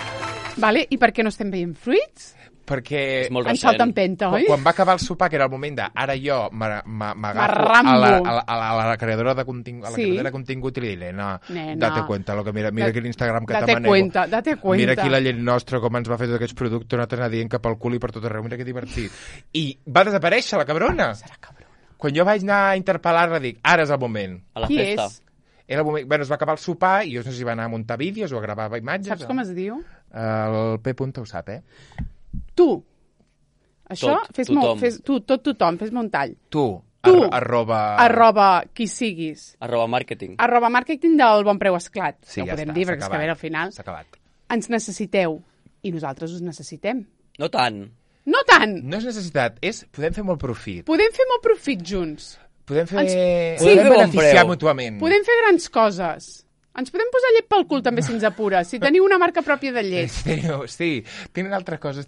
vale, i per què no estem veient fruits? Perquè És molt En recent. salta en penta, quan, oi? quan va acabar el sopar, que era el moment de ara jo m'a- m'a- m'agafo M'arrambo. a la, a, la, a, la, a la creadora de contingut, a la Sí. creadora de contingut i li diré, no, Nena. date cuenta, lo que mira, mira Da- aquí l'Instagram que te Date manejo. cuenta, date cuenta. Mira aquí la llet nostra, com ens va fer tots aquests productes, no t'anar dient cap al cul i per tot arreu, mira que divertit. I va desaparèixer la cabrona. Serà cabrona. Quan jo vaig anar a interpel·lar-la, dic, ara és el moment. A la Qui festa. és? Era el moment... Bueno, es va acabar el sopar i jo no sé si va anar a muntar vídeos o a gravar imatges. Saps com es diu? El P. Punta ho sap, eh? Tu. Això, Tot, fes-me... tothom. Fes, tu, tot tothom, fes-me un tall. Tu, Tu. ar arroba... Arroba qui siguis. Arroba màrqueting. Arroba màrqueting del bon preu esclat. Sí, no ja ho podem està, dir, s'ha perquè és que a acabat. veure, al final S'ha acabat. ens necessiteu. I nosaltres us necessitem. No tant. No tant! No és necessitat, és... Podem fer molt profit. Podem fer molt profit junts. Podem fer... Ens- Podem Sí, que bon beneficiar preu. mútuament. Podem fer grans coses. Ens podem posar llet pel cul també si ens apura. Si teniu una marca pròpia de llet. Teniu, sí, tenen altres coses.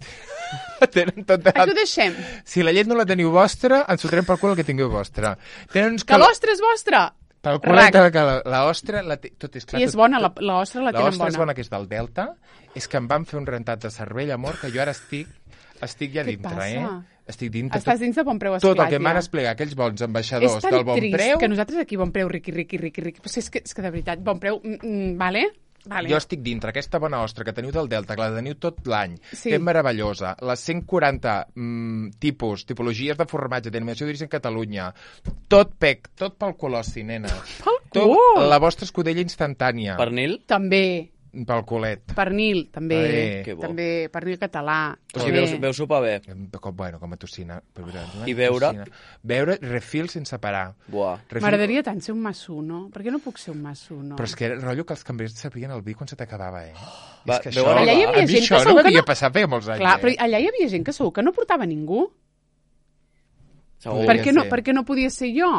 Tenen tot Aquí ho alt... deixem. Si la llet no la teniu vostra, ens fotrem pel cul el que tingueu vostra. Tenen uns Que l'ostra és vostra! Pel cul Rac. que la, la ostra, la té, tot és clar. I és tot- bona, la, tot- la ostra la La tenen ostra és bona. bona, que és del Delta. És que em van fer un rentat de cervell, amor, que jo ara estic, estic ja Què et dintre, passa? eh? Estic dintre. Estàs dins de bon preu esclat, Tot el que em van ja. explicar aquells bons És ambaixadors tan del bon trist preu, que nosaltres aquí bon preu, riqui, riqui, riqui, riqui. Però és que, és que de veritat, bon preu, mm, mm, vale? Vale. jo estic dintre. Aquesta bona ostra que teniu del Delta, que la teniu tot l'any, Sí. que és meravellosa, les cent quaranta mm, tipus, tipologies de formatge, d'animació d'origen Catalunya, tot pec, tot pel colossi, nena. Pel Tot, cul! la vostra escudella instantània. Pernil? També. Pel culet. Pernil, també. Eh. Que bo. També, pernil català. O sigui, també. veus, veus sopar bé. Com, bueno, com a tocina. Però, mira, I beure? tocina. Beure, refil sense parar. Buah. Refil- M'agradaria tant ser un massuno. Per què no puc ser un massuno? Però és que era rotllo que els cambrers sabien el vi quan se t'acabava, eh? Va, és que veu això, Allà hi havia a mi gent això que no segur que m'havia no- passat feia molts anys, Clar, eh? però allà hi havia gent que segur que no portava ningú. Segur. Podria Per què, no, ser. per què no podia ser jo?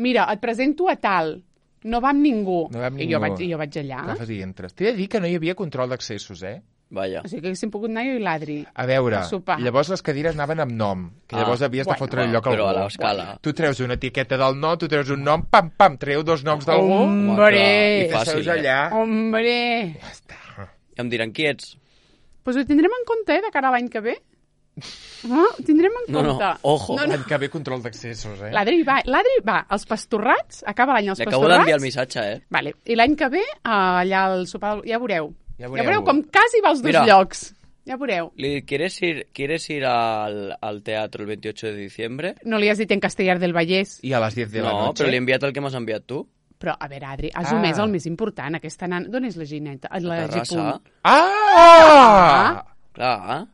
Mira, et presento a tal. No va amb ningú. No va amb I jo ningú. vaig, i jo vaig allà. Agafes i entres. T'he de dir que no hi havia control d'accessos, eh? Vaja. O sigui que haguéssim pogut anar jo i l'Adri. A veure, A sopar. llavors les cadires anaven amb nom, que Ah, llavors havies de bueno, fotre el bueno, lloc a però algú. a l'escala. Tu treus una etiqueta del nom, tu treus un nom, pam, pam, treu dos noms d'algú, Home, Hombre! clar, i i fàcil, seus eh? allà. Hombre! Ja està. I em diran qui ets. Pues ho tindrem en compte, eh, de cara a l'any que ve. No, ho tindrem en No, no, compte. ojo. No, no. L'any que ve control d'accessos, eh? L'Adri va, l'Adri va als pastorrats, acaba l'any als Li acabo pastorrats. d'enviar el missatge, eh? Vale. I l'any que ve, eh, allà al sopar, ja veureu. Ja Ja veureu. veureu com quasi va als dos Mira. llocs. Ja veureu. Li, ¿quieres ir, ¿Quieres ir al, al teatro el veintiocho de diciembre? No li has dit en Castellar del Vallès. I a les diez de la No, noche. però li he enviat el que m'has enviat tu. Però, a veure, Adri, has Ah. omès el més important. Aquesta nana... D'on és la Gineta? La Terrassa. Gipunt. Ah! Clar.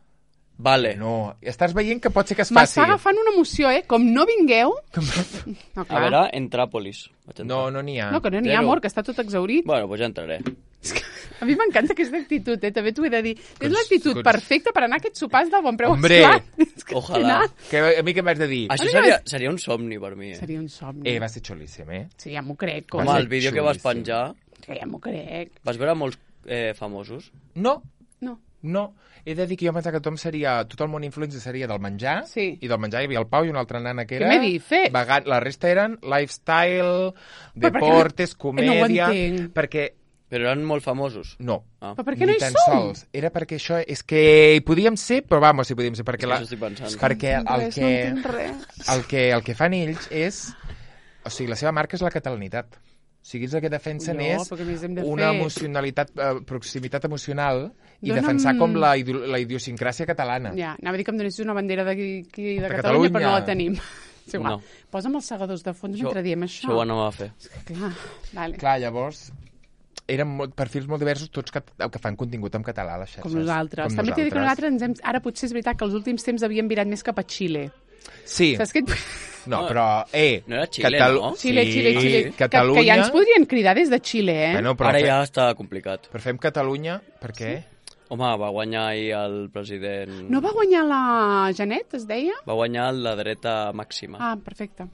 Vale. No, estàs veient que pot ser que es M'està faci. agafant una emoció, eh? Com no vingueu... No, A clar. veure, Entràpolis. Vaig entrar. No, no n'hi ha. No, que no n'hi ha, Zero. amor, que està tot exaurit. Bueno, doncs ja entraré. És que a mi m'encanta aquesta actitud, eh? També t'ho he de dir. És Cons- l'actitud cons- perfecta per anar a aquests sopars del bon preu. Hombre. Esclar, és que Ojalà. al final Que a mi què m'has de dir? Això mi seria, m'has- seria un somni per mi, eh? Seria un somni. Eh, va ser xulíssim, eh? Sí, ja m'ho crec. Va Home, ser el vídeo que vas xulíssim. penjar, Que ja m'ho crec. vas veure molts eh, famosos? No, No. no. He de dir que jo pensava que tothom seria... Tot el món influencer seria del menjar. Sí. I del menjar hi havia el Pau i una altra nana que Què era... m'he dit? Fer. Vegà... La resta eren lifestyle, Però per què no- deportes, no ho comèdia... entenc. perquè... Però eren molt famosos. No. Ah. Però per què no Ni hi tan som? sols. Era perquè això... És que hi podíem ser, però vamos, hi podíem ser. Perquè, Sí, la... això estic pensant. perquè el, Res, que... no entenc res. el que, el que fan ells és... O sigui, la seva marca és la catalanitat. O sigui, ells el que defensen No, és perquè a més hem de una fer- emocionalitat, eh, proximitat emocional i Dóna'm- defensar com la, idio la idiosincràsia catalana. Ja, anava a dir que em donessis una bandera d'aquí de, De Catalunya, però no Catalunya. la tenim. És igual. No. Posa'm els segadors de fons Això- mentre diem això. Això ho anava a fer. És que clar, vale. Clar, llavors, eren molt, perfils molt diversos, tots que, que fan contingut en català a les xarxes. Com nosaltres. Com També t'he de dir que nosaltres ens hem... Ara potser és veritat que els últims temps havíem virat més cap a Xile. Sí, Saps què et... no, però... Eh, No era Xile, Catalu- no? Xile, Sí, Xile, Xile. Catalunya... Que, que ja ens podrien cridar des de Xile, eh? Bueno, però, Ara fe- ja està complicat. però fem Catalunya, per què? Home, va guanyar ahir el president... No va guanyar la Janet, es deia? Va guanyar la dreta màxima. Ah, perfecte.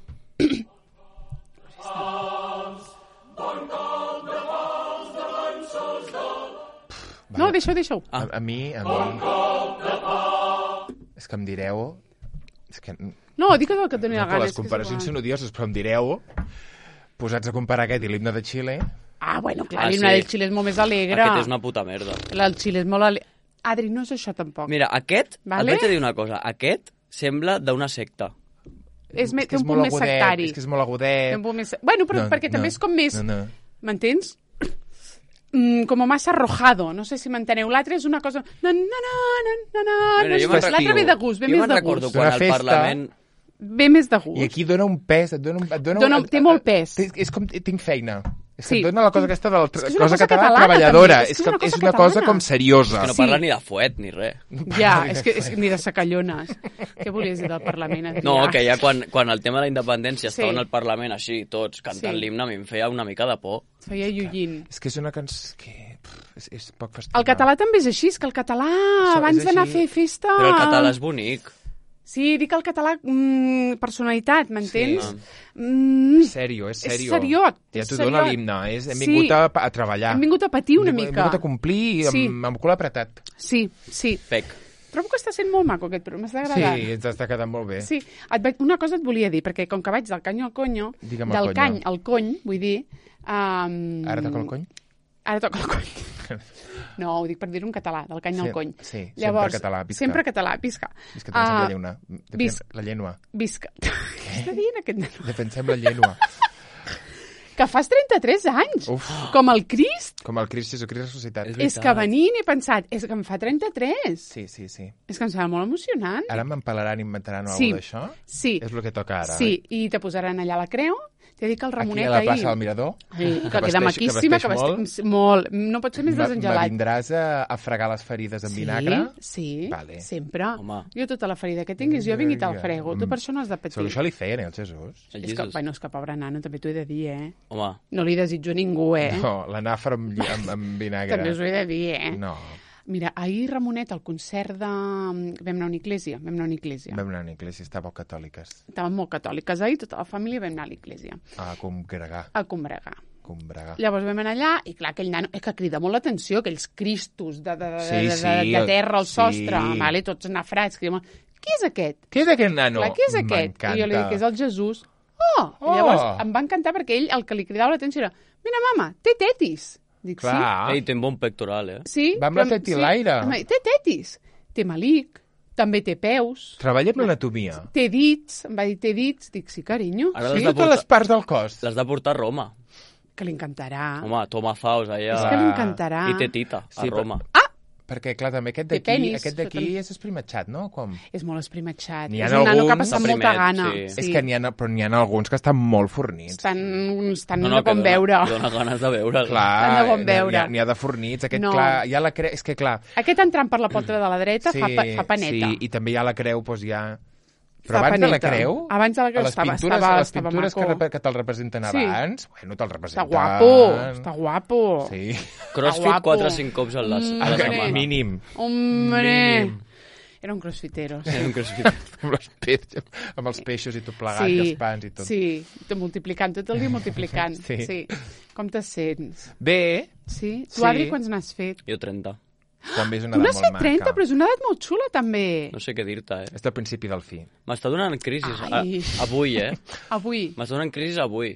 No, deixa-ho, deixa-ho. A, a mi... A mi... És que em direu... És que... No, dic el que et doni la No, gana. les és que és comparacions igual. són odioses, però em direu, posats a comparar aquest i l'himne de Xile... Ah, bueno, clar, Ah, l'himne sí. del Xile és molt més alegre. Aquest és una puta merda. El Xile és molt alegre. Adri, no és això tampoc. Mira, aquest, Vale. et vaig a dir una cosa, aquest sembla d'una secta. és, me, És té que un és punt molt més agudet, sectari. és que és molt agudet. Té un punt més... Bueno, però No, perquè també no, és com més... no, no. M'entens? Mm, com massa arrojado, no sé si m'enteneu. L'altre és una cosa... Na, na, na, na, na, na, Bueno, jo me'n L'altre ve de gust, ve jo més me'n de recordo gust. quan Una al festa- Parlament... Ve més de gust. I aquí dona un pes, et dona un... Et dona, Dona- té molt pes. Té, és com... Tinc feina. És que Sí. et dona la cosa aquesta de la És que és una cosa cosa catalana, catalana, treballadora. també. És, que és una cosa com seriosa. Que no Sí. parla ni de fuet ni res. Ja, és que, és que ni de sacallones. Què volies dir del Parlament, Adrià? No, que ja quan, quan el tema de la independència Sí. estaven al Parlament així, tots cantant Sí. l'himne, a mi em feia una mica de por. Feia llullint. És que és una cançó que... pff, és, és poc festiva. El català també és així, és que el català, Això abans és d'anar a així. fer festa... Però el català és bonic. Sí, dic el català, mm, personalitat, m'entens? Sí. Mm, Sèrio, és És sèrio. seriot, Ja és t'ho dona seriot. l'himne. És, hem Sí. vingut a, a treballar. hem vingut a patir una Hem mica. vingut a complir Sí. amb, amb el cul apretat. Sí, sí. Pec. Trobo que està sent molt maco aquest programa, m'està Sí, agradant. ens està quedant molt bé. Sí, et vaig, una cosa et volia dir, perquè com que vaig del canyo al conyo, Digue'm el del conyo. cany al cony, vull dir... Um, Ara toca el cony? Ara toca el cony. No, ho dic per dir-ho en català, del cany Sí, al cony. sí, sempre Llavors, català, visca. Sempre català, visca. És que defensem Ah, la llengua. Defensem visc. la llengua. Visca. Què està dient aquest nen? Defensem la llengua. Que fas trenta-tres anys, Uf. com el Crist. Com el Crist Jesucrist ressuscitat. És És que venint he pensat, és que em fa trenta-tres. Sí, sí, sí. És que em sembla molt emocionant. Ara m'empalaran i inventaran Sí. alguna d'això? Sí, És el que toca ara. sí, i te posaran allà la creu. T'he dit que el Aquí Ramonet a la ahir... plaça del Mirador? Sí, que, que queda vesteix- maquíssima, que que vesteix vesteix molt. No pot ser més Me- Me desengelat. vindràs a, a fregar les ferides amb vinagre? Sí, Vale. sempre. Home. Jo tota la ferida que tinguis, jo vinc i te'l frego. Tu per això no has de patir. Solo això li feien, eh, el Jesús? El És que, Jesús. bueno, és que pobre nano, també t'ho he de dir, eh? Home, No li desitjo a ningú, eh? No, l'anàfora amb, lli- amb, amb vinagre. També us ho he de dir, eh? No, Mira, ahir Ramonet, al concert de... Vam anar a una iglesia, vam anar a una iglesia. vam anar a una iglesia, estàveu catòliques. Estàvem molt catòliques ahir, tota la família vam anar a l'iglesia, A congregar, a combregar. congregar. Llavors vam anar allà i clar, aquell nano, és que crida molt l'atenció, aquells cristos de, de, de, Sí, de, de, sí, de terra al sí. sostre, vale? Tots nafrats, crida molt. Qui és aquest? Què és aquest nano? Clar, qui és aquest? M'encanta. I jo li dic que és el Jesús. Oh! Oh! I llavors em va encantar perquè ell el que li cridava l'atenció era mira, mama, té tetis. Dic, Clar. ei, té un bon pectoral, eh? sí? Sí. Va amb la però- tetilaire. Em va dir, té tetis. Té malic, també té peus, Treballa amb l'anatomia. té dits. Em va dir, té dits. Dic, sí, carinyo. Ara Sí, l'has de totes les portar, parts del cos. l'has de portar a Roma. Que li encantarà. Home, toma faus allà. És que li encantarà. I té tita, a Sí, però- Roma. Ah! Perquè, clar, també aquest Té d'aquí penis, aquest d'aquí també. és esprimatxat, no? Com... És molt esprimatxat. N'hi ha És un nano que ha alguns- passat molta Primet, gana. sí. És que n'hi ha, però n'hi ha alguns que estan molt fornits. Estan, estan No, no, no, de com que veure. dona, dona ganes de veure'l. Clar, Estan de bon n'hi ha- veure. N'hi ha, n'hi ha de fornits. Aquest, No. clar, ja la creu... És que, clar... Aquest entrant per la porta de la dreta fa, pa, fa paneta. Sí, i també ja la creu, doncs ja... Però Fa abans de la paneta. creu... Abans de la creu a les estava- pintures, estava- a les estava pintures que, maco. rep- que te'l representen Sí. abans, bueno, te'l Està representen... guapo, està guapo. Sí. Crossfit guapo. quatre o cinc cops a la, a la Hombre. setmana. Mínim. Hombre! Mínim. Era un crossfitero. Era un crossfit. amb, els peixos, amb els peixos i tot plegat, Sí, i els pans i tot. sí, tot multiplicant, tot el dia multiplicant. Sí. sí. Com te sents? Bé, Sí? Tu, Sí. Adri, quants n'has fet? Jo trenta. també és una Tu edat n'has molt fet maca. trenta, però és una edat molt xula, també. No sé què dir-te, eh? És del principi del fi. M'està donant crisis. A, Ai. avui, eh? Avui. M'està donant crisis avui.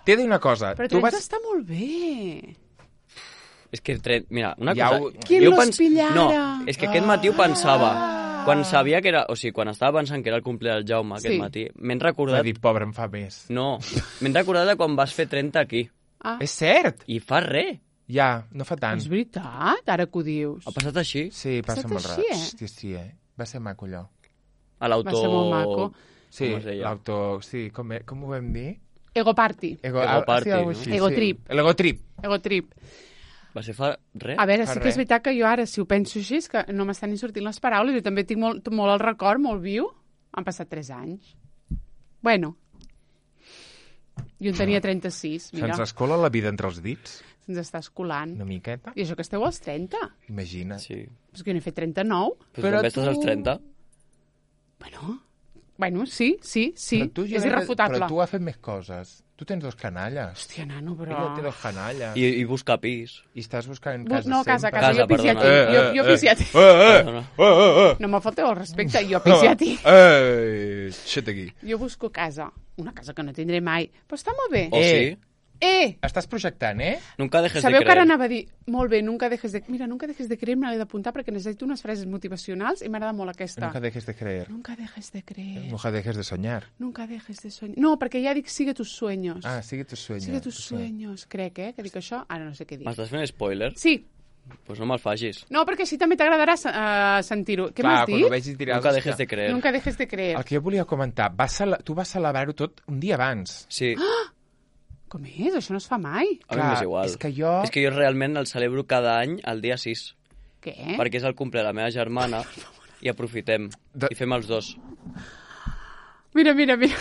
T'he de dir una cosa. Però tu trenta vas... està molt bé. És que, tre... mira, una Ja cosa... ho- ¿Quién jo los pillara? No, és que aquest matí ho pensava. Quan sabia que era... O sigui, quan estava pensant que era el cumple del Jaume aquest Sí. matí, m'he Va recordat... dir, pobre, em fa més. No, m'he recordat de quan vas fer trenta aquí. Ah, És cert! I fa res. Ja, no fa tant. és veritat, ara que ho dius. Ha passat així. Sí, passa Passat molt així, rar. eh? Hòstia, sí, eh? Va ser maco, allò. A l'auto... Va ser molt maco. Sí, Com es deia? l'auto... Sí, com, e- com ho vam dir? Ego party, Ego, Ego ah, party, sí, algo no? així, Ego sí. trip. L'ego trip. ego trip. Va ser fa res. A veure, Fa sí que res. és veritat que jo ara, si ho penso així, és que no m'estan ni sortint les paraules, jo també tinc molt, molt el record, molt viu. Han passat tres anys. Bueno, jo en tenia trenta-sis, mira, Se'ns escola la vida entre els dits, se'ns està escolant. una miqueta. I això que esteu als trenta. Imagina. Sí. És que jo n'he fet trenta-nou. Però, Però també estàs tu- als trenta. Bueno, bueno, sí, sí, sí, Però tu, és Joan, irrefutable. Però tu has fet més coses. Tu tens dos canalles. Hòstia, nano, però... Ella té dos canalles. I, I, i buscar pis. I estàs buscant Bu- casa no, casa, sempre. casa, Casa, jo pissi a ti. perdona. Jo, jo pissi a ti. Eh, eh, Perdona. eh, eh, eh. No me falteu el respecte, jo pissi a ti. Eh, xet aquí. Jo busco casa, una casa que no tindré mai, però està molt bé. O Eh. sí? Eh! Estàs projectant, eh? Nunca dejes Sabeu de que ara creer. anava a dir, molt bé, nunca dejes de... Mira, nunca dejes de creer, me l'he d'apuntar perquè necessito unes frases motivacionals i m'agrada molt aquesta. Nunca dejes de creer. Nunca dejes de creer. Nunca dejes de soñar. Nunca dejes de soñar. No, perquè ja dic sigue tus sueños. Ah, sigue tus sueños. Sigue tus Sí. sueños, crec, eh? Que dic això, ara no sé què dir. M'estàs fent spoiler? Sí, Doncs pues no me'l facis. no, perquè així també t'agradarà uh, sentir-ho. Què Clar, m'has quan dit? ho vegis diràs... Nunca "Hòstia, dejes de creer. Nunca dejes de creer. El que jo volia comentar, vas cele... tu vas celebrar-ho tot un dia abans. Sí, Com és? Això no es fa mai. a mi Clar, m'és igual. és que jo- És que jo realment el celebro cada any el dia sis, Què? perquè és el cumple de la meva germana i aprofitem De- i fem els dos. Mira, mira, mira.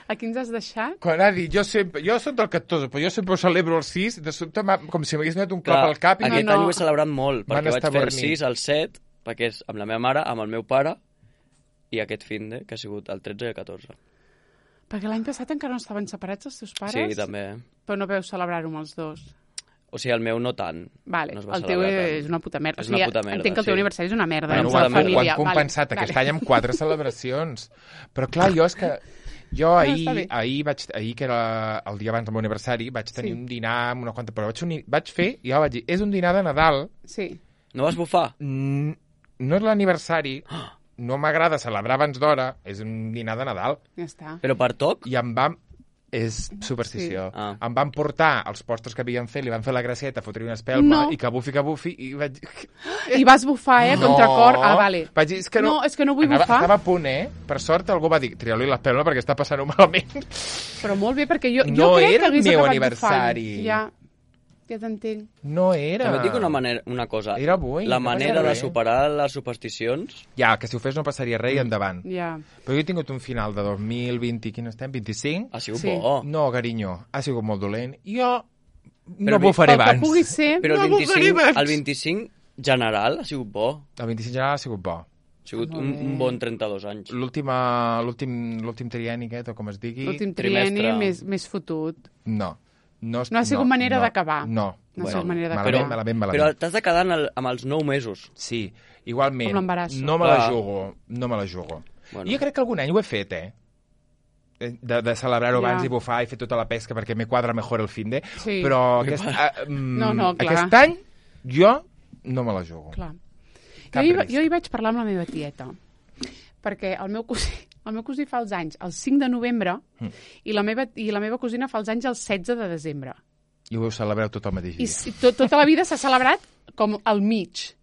Aquí ens has deixat? Quan ha dit, jo sempre, jo soc del catorze, però jo sempre ho celebro el sis, de sobte m'ha- com si m'hagués donat un cop Clar, al cap i aquest no, any no. ho he celebrat molt, Van perquè vaig estar fer el dormint. sis, el set, perquè és amb la meva mare, amb el meu pare, i aquest finde, que ha sigut el tretze i el catorze. Perquè l'any passat encara no estaven separats els teus pares? Sí, també. Però no veu celebrar-ho amb els dos. O sigui, el meu no tant. Vale, no es va el teu celebrar és tant. una puta merda. És o sigui, una puta merda, entenc que el teu sí. aniversari és una merda. Bueno, dins una la merda. família. ho han compensat Vale, aquest vale. any amb quatre celebracions. Però clar, jo és que... Jo ahir, està bé. ahir, vaig, ahir, que era el dia abans del meu aniversari, vaig tenir Sí. un dinar amb una quanta... Però vaig, unir, vaig fer, i ja vaig dir, és un dinar de Nadal, Sí. No vas bufar? mm, no és l'aniversari, no m'agrada celebrar abans d'hora, és un dinar de Nadal. Ja està. Però per toc? I em vam... És superstició. Sí. Ah. Em van portar els postres que havien fet, li van fer la gracieta, fotre una espelma, No. i que bufi, que bufi, i vaig... I vas bufar, eh, a contracor. Ah, vale. Vaig dir, és que no, No, és que no vull Anava, bufar. Estava a punt, eh? Per sort algú va dir, tria-li l'espelma perquè està passant-ho malament. Però molt bé, perquè jo, jo No crec era que hagués el meu acabat aniversari. bufant. Ja, ja t'entenc. No era. També et dic una, manera, una cosa. Era avui, La no manera passa de res. superar les supersticions... Ja, que si ho fes no passaria res i endavant. Ja. Però jo he tingut un final de dos mil vint, quin estem? vint-i-cinc? Ha sigut Sí. bo. No, carinyo, ha sigut molt dolent. Jo Però no vi- bufaré Pel que abans. pugui ser... Però el No bufaré vint-i-cinc, abans. el vint-i-cinc general ha sigut bo. El vint-i-cinc general ha sigut bo. Ha sigut Molt un, bé. un bon trenta-dos anys. L'última- L'últim l'últim trienni aquest, o com es digui... L'últim trimestre. trienni més, més fotut. No. No, es- No ha sigut manera no, d'acabar. No. No ha sigut manera d'acabar. malament, Però- malament, malament. Però t'has de quedar en el, amb els nou mesos. Sí, igualment. Com l'embarasso. No me la Clar. jugo, no me la jugo. Bueno. Jo crec que algun any ho he fet, eh? De, de celebrar-ho Ja. abans i bufar i fer tota la pesca perquè me quadra mejor el fin de. Sí. Però aquest, uh, No, no, clar. aquest any jo no me la jugo. Clar. Cap Jo hi, risc. jo hi vaig parlar amb la meva tieta, perquè el meu cosí, el meu cosí fa els anys el cinc de novembre Mm. i, la meva, i la meva cosina fa els anys el setze de desembre. I ho celebreu tot el mateix I, dia. si- tot, tota la vida s'ha celebrat com al mig.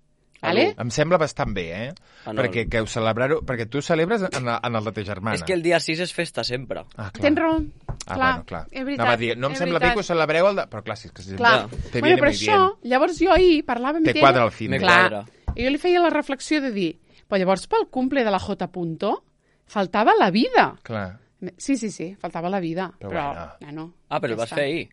Vale? Em sembla bastant bé, eh? Ah, no, perquè, que ho celebrar-ho, perquè tu celebres en, la, en el de ta germana. És que el dia sis és festa sempre. Ah, clar. Tens raó. Ah, clar, bueno, clar. és veritat. Anava a dir, no em és sembla veritat. bé que ho celebreu el de... Però clar, sí, és que... Sí, Clar. te Bueno, viene però muy això, bien. llavors jo ahir parlava amb Te ella... quadra al fin. Me Clar, quadra. i jo li feia la reflexió de dir, però llavors pel cumple de la J. Punto faltava la vida. Clar. Sí, sí, sí, faltava la vida. Però Però, bueno. ja no. Ah, però ja el vas està. fer ahir.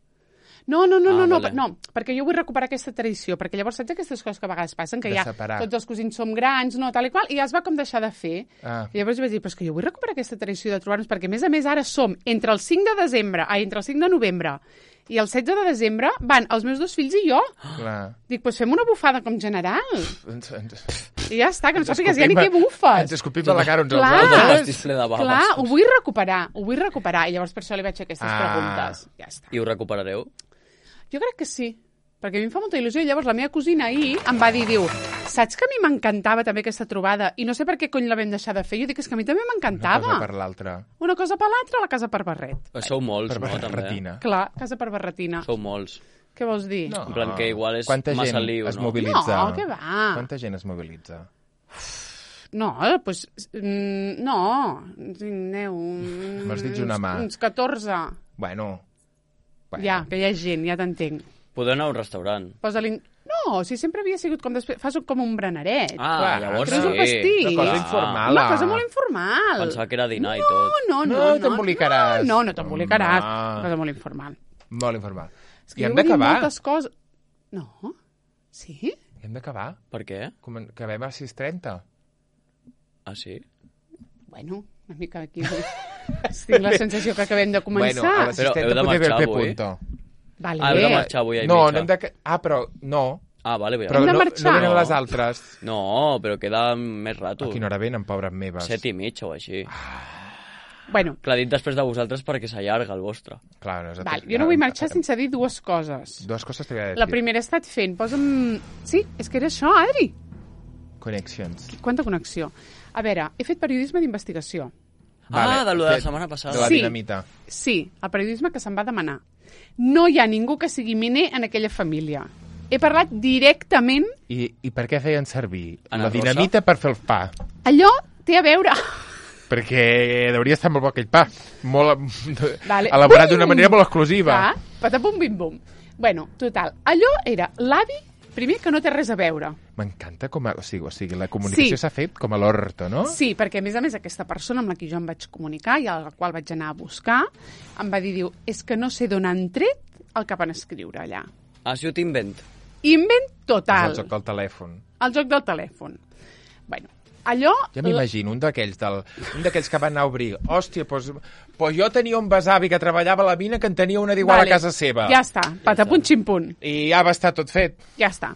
No, no, no, Ah, no, no, vale. no, perquè jo vull recuperar aquesta tradició, perquè llavors saps aquestes coses que a vegades passen, que De ja separar. tots els cosins som grans, no, tal i qual, i ja es va com deixar de fer. Ah. I llavors jo vaig dir, però és que jo vull recuperar aquesta tradició de trobar-nos, perquè a més a més ara som entre el cinc de desembre, ai, entre el cinc de novembre i el setze de desembre van els meus dos fills i jo. Clar. Dic, doncs fem una bufada com general. Ens, ens, I ja està, que no ens sàpigues ja ni escopim què a- bufes. Ens escopim a la cara uns als Clar. El altres. pastís ple de baves. Clar, ho vull recuperar, ho vull recuperar. I llavors per això li vaig fer aquestes Ah. preguntes. Ja està. I ho recuperareu? Jo crec que sí, perquè a mi em fa molta il·lusió. I llavors la meva cosina ahir em va dir, diu, saps que a mi m'encantava també aquesta trobada i no sé per què cony la vam deixar de fer? Jo dic, és que a mi també Una m'encantava. cosa per l'altra. Una cosa per l'altra, la casa per barret. Però sou molts, Per no, també? barretina. Clar, casa per barretina. Sou molts. Què vols dir? No. En plan que igual és Quanta massa gent lío, es no? mobilitza? No, què va? Quanta gent es mobilitza? No, doncs... Pues, mm, no, aneu... mm, M'has dit una mà. Uns catorze. Bueno. bueno. Ja, que hi ha gent, ja t'entenc. Podeu anar a un restaurant. Posa-li... No, si sempre havia sigut com després... Fas com un breneret. Ah, Clar, llavors Treus sí. un pastís. Una cosa Ah. informal. Una cosa molt informal. Pensava que era dinar i no, tot. No, no, No, no. t'embolicaràs. No, no t'embolicaràs. Home. Una cosa molt informal. Molt informal. És que I hem jo vull dir d'acabar. moltes coses... No? Sí? I hem d'acabar. Per què? Com en- Acabem a sis trenta. Ah, sí? Bueno, una mica aquí... Tinc la sensació que acabem de començar. Bueno, a les Però sis heu de trenta podria haver marxar el avui? punto. Vale. Ah, heu de marxar avui a No, Ibiza. no hem de... Ah, però no. Ah, vale, bé. Però Hem de no, marxar. no venen No. les altres. No, però queda més rato. A quina hora venen, pobres meves? Set i mitja o així. Bueno, Clar, dit després de vosaltres perquè s'allarga el vostre. Clar, no és val, jo no vull marxar sense dir dues coses. Dues coses t'havia de dir. La primera he estat fent, posa'm... Sí, és que era això, Adri. Connections. Quanta connexió. A veure, he fet periodisme d'investigació. Ah, de lo de la Fet- setmana passada. De la Sí. dinamita. Sí, el periodisme que se'm va demanar. No hi ha ningú que sigui miner en aquella família. He parlat directament... I, I per què feien servir Ana la Rosa? dinamita per fer el pa? Allò té a veure... Perquè hauria estar molt bo aquell pa. Molt, Vale. elaborat Bum! d'una manera molt exclusiva. Clar, patapum bim bum. Bueno, total, allò era l'avi, primer que no té res a veure. M'encanta com a... O sigui, o sigui la comunicació Sí. s'ha fet com a l'orto, no? Sí, perquè a més a més aquesta persona amb la que jo em vaig comunicar i a la qual vaig anar a buscar em va dir, diu, és que no sé d'on han tret el que van escriure allà. Ah, sí, ho t'invent. Invent És total. el joc del telèfon. El joc del telèfon. Bueno, allò... Ja m'imagino, un d'aquells del, un d'aquells que van anar a obrir. Hòstia, doncs, doncs jo tenia un besavi que treballava a la mina que en tenia una d'igual Vale, a casa seva. Ja està, patapunt ximpunt. I ja va estar tot fet. Ja està.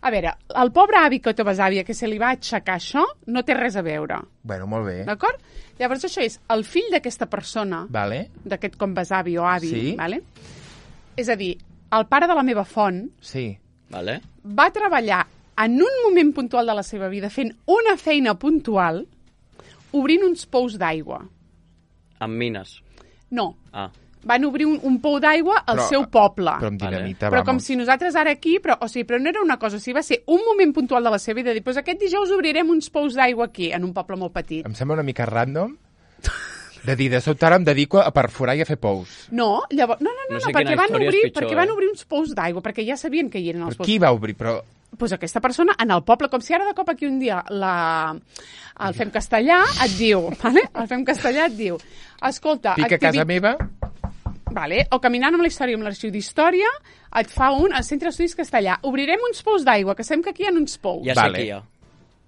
A veure, el pobre avi que té besàvia que se li va aixecar això no té res a veure, Bueno, molt bé. d'acord? Llavors això és el fill d'aquesta persona, Vale. d'aquest com besavi o avi, Sí. vale? És a dir, el pare de la meva font Sí. Vale? va treballar en un moment puntual de la seva vida fent una feina puntual obrint uns pous d'aigua. Amb mines. No, Ah. van obrir un, un pou d'aigua al Però- seu poble. Però amb Vale. dinamita, Però com vamos. si nosaltres ara aquí, però, o sigui, però no era una cosa, o sigui, va ser un moment puntual de la seva vida, dir, doncs aquest dijous obrirem uns pous d'aigua aquí, en un poble molt petit. Em sembla una mica random de dir, de sobte ara em dedico a perforar i a fer pous. No, llavors, no, no, no, No no, sé perquè, quina van història és obrir, pitjor, perquè van eh? obrir uns pous d'aigua, perquè ja sabien que hi eren els Però pous. qui va obrir? Però Pues aquesta persona en el poble, com si ara de cop aquí un dia la... el Fem Castellà et diu, vale? el Fem Castellà et diu, escolta... pica a casa meva, Vale, o caminant amb la història, amb l'arxiu d'història, et fa un, al Centre d'Estudis Castellà, obrirem uns pous d'aigua, que sabem que aquí hi ha uns pous. Ja Vale. sé qui hi ha.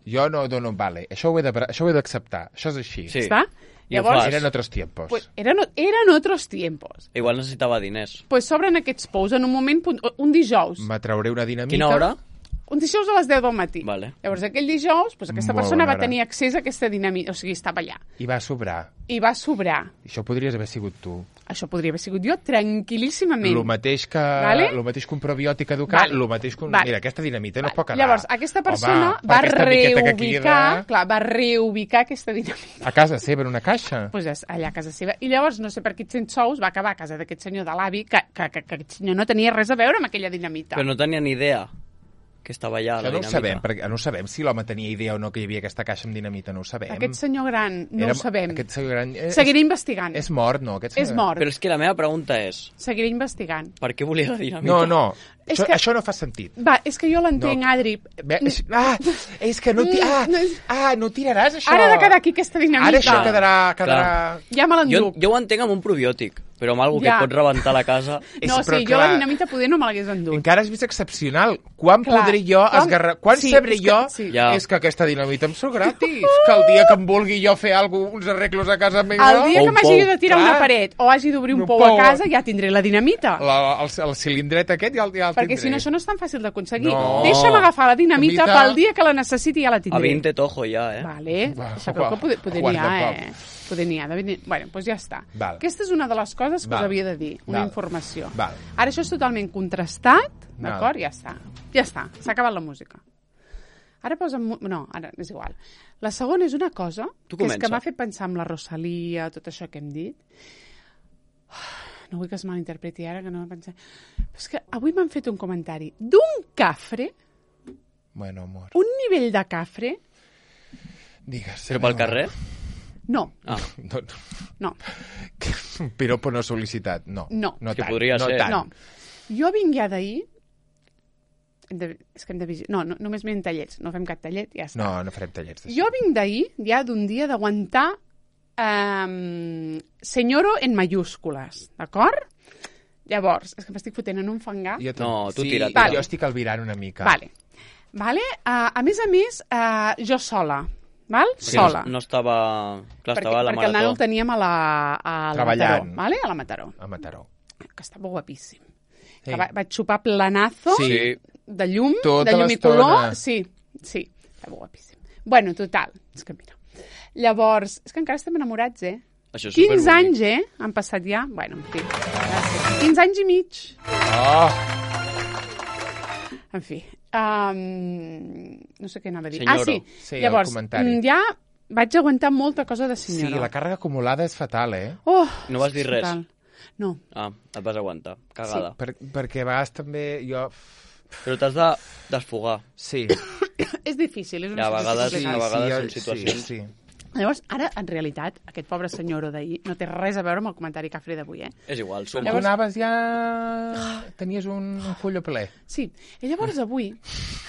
jo no dono vale. Això ho he de- això ho he d'acceptar. Això és així. Sí. Està? I ho Llavors, fas. Eren otros tiempos. pues, eren, eren otros tiempos. Igual necessitava diners. Pues s'obren aquests pous en un moment, punt- un dijous. Me trauré una dinamita. Quina hora? Un dijous a les deu del matí. Vale. Llavors, aquell dijous, pues, aquesta Molt persona bona va hora. tenir accés a aquesta dinamita, o sigui, estava allà. I va sobrar. I va sobrar. Això podries haver sigut tu. Això podria haver sigut jo tranquil·líssimament. Lo mateix que, Vale? lo mateix que un probiòtic educat, Vale. lo mateix que un... Vale. Mira, aquesta dinamita no Vale. es pot quedar. Llavors, aquesta persona Home, per va aquesta miqueta que reubicar, queda clar, va reubicar aquesta dinamita. a casa seva, en una caixa. Pues és allà a casa seva. I llavors, no sé per quins cents sous, va acabar a casa d'aquest senyor de l'avi, que, que, que, que aquest senyor no tenia res a veure amb aquella dinamita. Però no tenia ni idea. que estava allà, Això la no ho dinamita. sabem, perquè no ho sabem si l'home tenia idea o no que hi havia aquesta caixa amb dinamita, no ho sabem. Aquest senyor gran, no Era, ho sabem. Aquest senyor gran... És, Seguiré investigant. És mort, no? Aquest senyor... És mort. Però és que la meva pregunta és, Seguiré investigant. per què volia la dinamita? No, no, És això, que- això no fa sentit. Va, és que jo l'entenc, No. Adri. Bé, és, ah, és que no... Ti, ah, Mm, no és- ah, no tiraràs això. Ara ha de quedar aquí aquesta dinamita. Ara això quedarà... quedarà... Ja me Jo, l'enduc. jo ho entenc amb un probiòtic, però amb algú Ja. que pot rebentar la casa... És- No, però sí, jo la clar, dinamita poder no me l'hagués endut. Encara has vist excepcional. Quan Clar. podré jo Com? esgarrar... Quan Sí, sabré és que- jo sí. Ja. és que aquesta dinamita em surt gratis? Que el dia que em vulgui jo fer alguna cosa, uns arreglos a casa meva... El dia O que un m'hagi pou. de tirar Clar. una paret o hagi d'obrir un Un pou pou. a casa, ja tindré la dinamita. La, el, el cilindret aquest ja el, ja el Perquè tindré. si no, això no és tan fàcil d'aconseguir. No. Deixa'm agafar la dinamita Dinamita. pel dia que la necessiti, ja la A tindré. vint tojo ja, eh? Vale, Va, sabeu que poder, poder n'hi ha, guarda eh? Poder n'hi ha. De venir... Bueno, doncs ja està. Val. Aquesta és una de les coses que Val. us havia de dir, una Val. informació. Val. Ara això és totalment contrastat, Val. d'acord? Ja està. Ja està, s'ha acabat la música. Ara posa'm... mu- No, ara és igual. La segona és una cosa Tu que és que comença. m'ha fet pensar en la Rosalia, tot això que hem dit. No vull que es malinterpreti ara, que no pensar... Però és que avui m'han fet un comentari d'un cafre, Bueno, amor, un nivell de cafre... digues. Però pel carrer? No, Ah, No, no, un piropo no sol·licitat, no. No. no Que tant, podria no ser. Tant. no. Jo vinc ja d'ahir... Hem de... És que hem de vigilar... No, no, només m'hem tallets. No fem cap tallet, ja està. No, no farem tallets d'això. Jo vinc d'ahir, ja d'un dia d'aguantar um, senyoro en mayúscules, d'acord? Llavors, és que m'estic fotent en un fangar. Jo No, tu sí, tira, tira. Jo estic albirant una mica. Vale. Vale? Uh, a més a més, uh, jo sola. Val? perquè Sola. No, no estava... Clar, perquè, estava a la perquè el nano el marató. teníem a la, a la Treballant. Mataró. Vale? A la Mataró. A Mataró. Que estava guapíssim. Sí. Que va, vaig xupar planazo Sí. de llum, Tota de llum i l'estona. color. Sí, sí, estava guapíssim. Bueno, total, és que mira. Llavors, és que encara estem enamorats, eh? Això és quinze superbonic. anys, eh? Han passat ja. Bueno, en fi. Gràcies. quinze anys i mig. Oh, En fi. Um, no sé què anava a dir. Senyoro. Ah, sí. Sí, el Llavors, comentari. mm, ja vaig aguantar molta cosa de sí, senyora. la càrrega acumulada és fatal, eh? Oh, No vas dir res? total. No. Ah, et vas aguantar. Cagada. Per, perquè a vegades també jo... Però t'has de desfogar. Sí. És difícil, és I una a vegades- situació a complicada. vegades jo- són situacions- Sí, sí. Llavors, ara, en realitat, aquest pobre senyor d'ahir no té res a veure amb el comentari cafre d'avui, eh? És igual, Com suma. tu anaves ja... Tenies un, un colló ple. Sí. I llavors avui,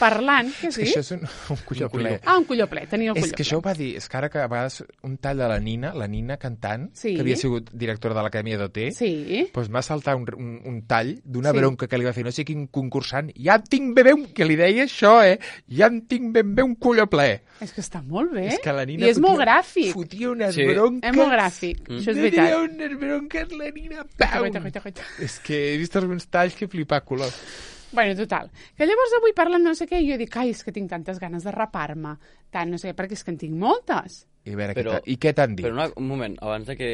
parlant... Què has És que dit? això és un, un colló Un colló. ple. Ah, un colló ple, tenia el colló És que això ho va dir, és que ara que a vegades un tall de la Nina, la Nina cantant, Sí. que havia sigut directora de l'Acadèmia d'O T, Sí. doncs m'ha saltat un, un, un tall d'una Sí. bronca que li va fer no sé quin concursant. Ja en tinc ben bé un... Que li deia això, eh? Ja en tinc ben bé un colló ple. És que està molt bé. És que la Nina I és molt fotia- gràfic. Fotia unes Sí. bronques... És molt gràfic, Mm. això és Fotia veritat. unes bronques, la Nina, Coita, pau! coita, coita. És que he vist alguns talls que flipar color. Bueno, total. Que llavors avui parlant no sé què, jo dic, ai, és que tinc tantes ganes de rapar-me. Tant, no sé què, perquè és que en tinc moltes. I a veure, Però- què t'ha- i què t'han dit? Però una, un moment, abans de que...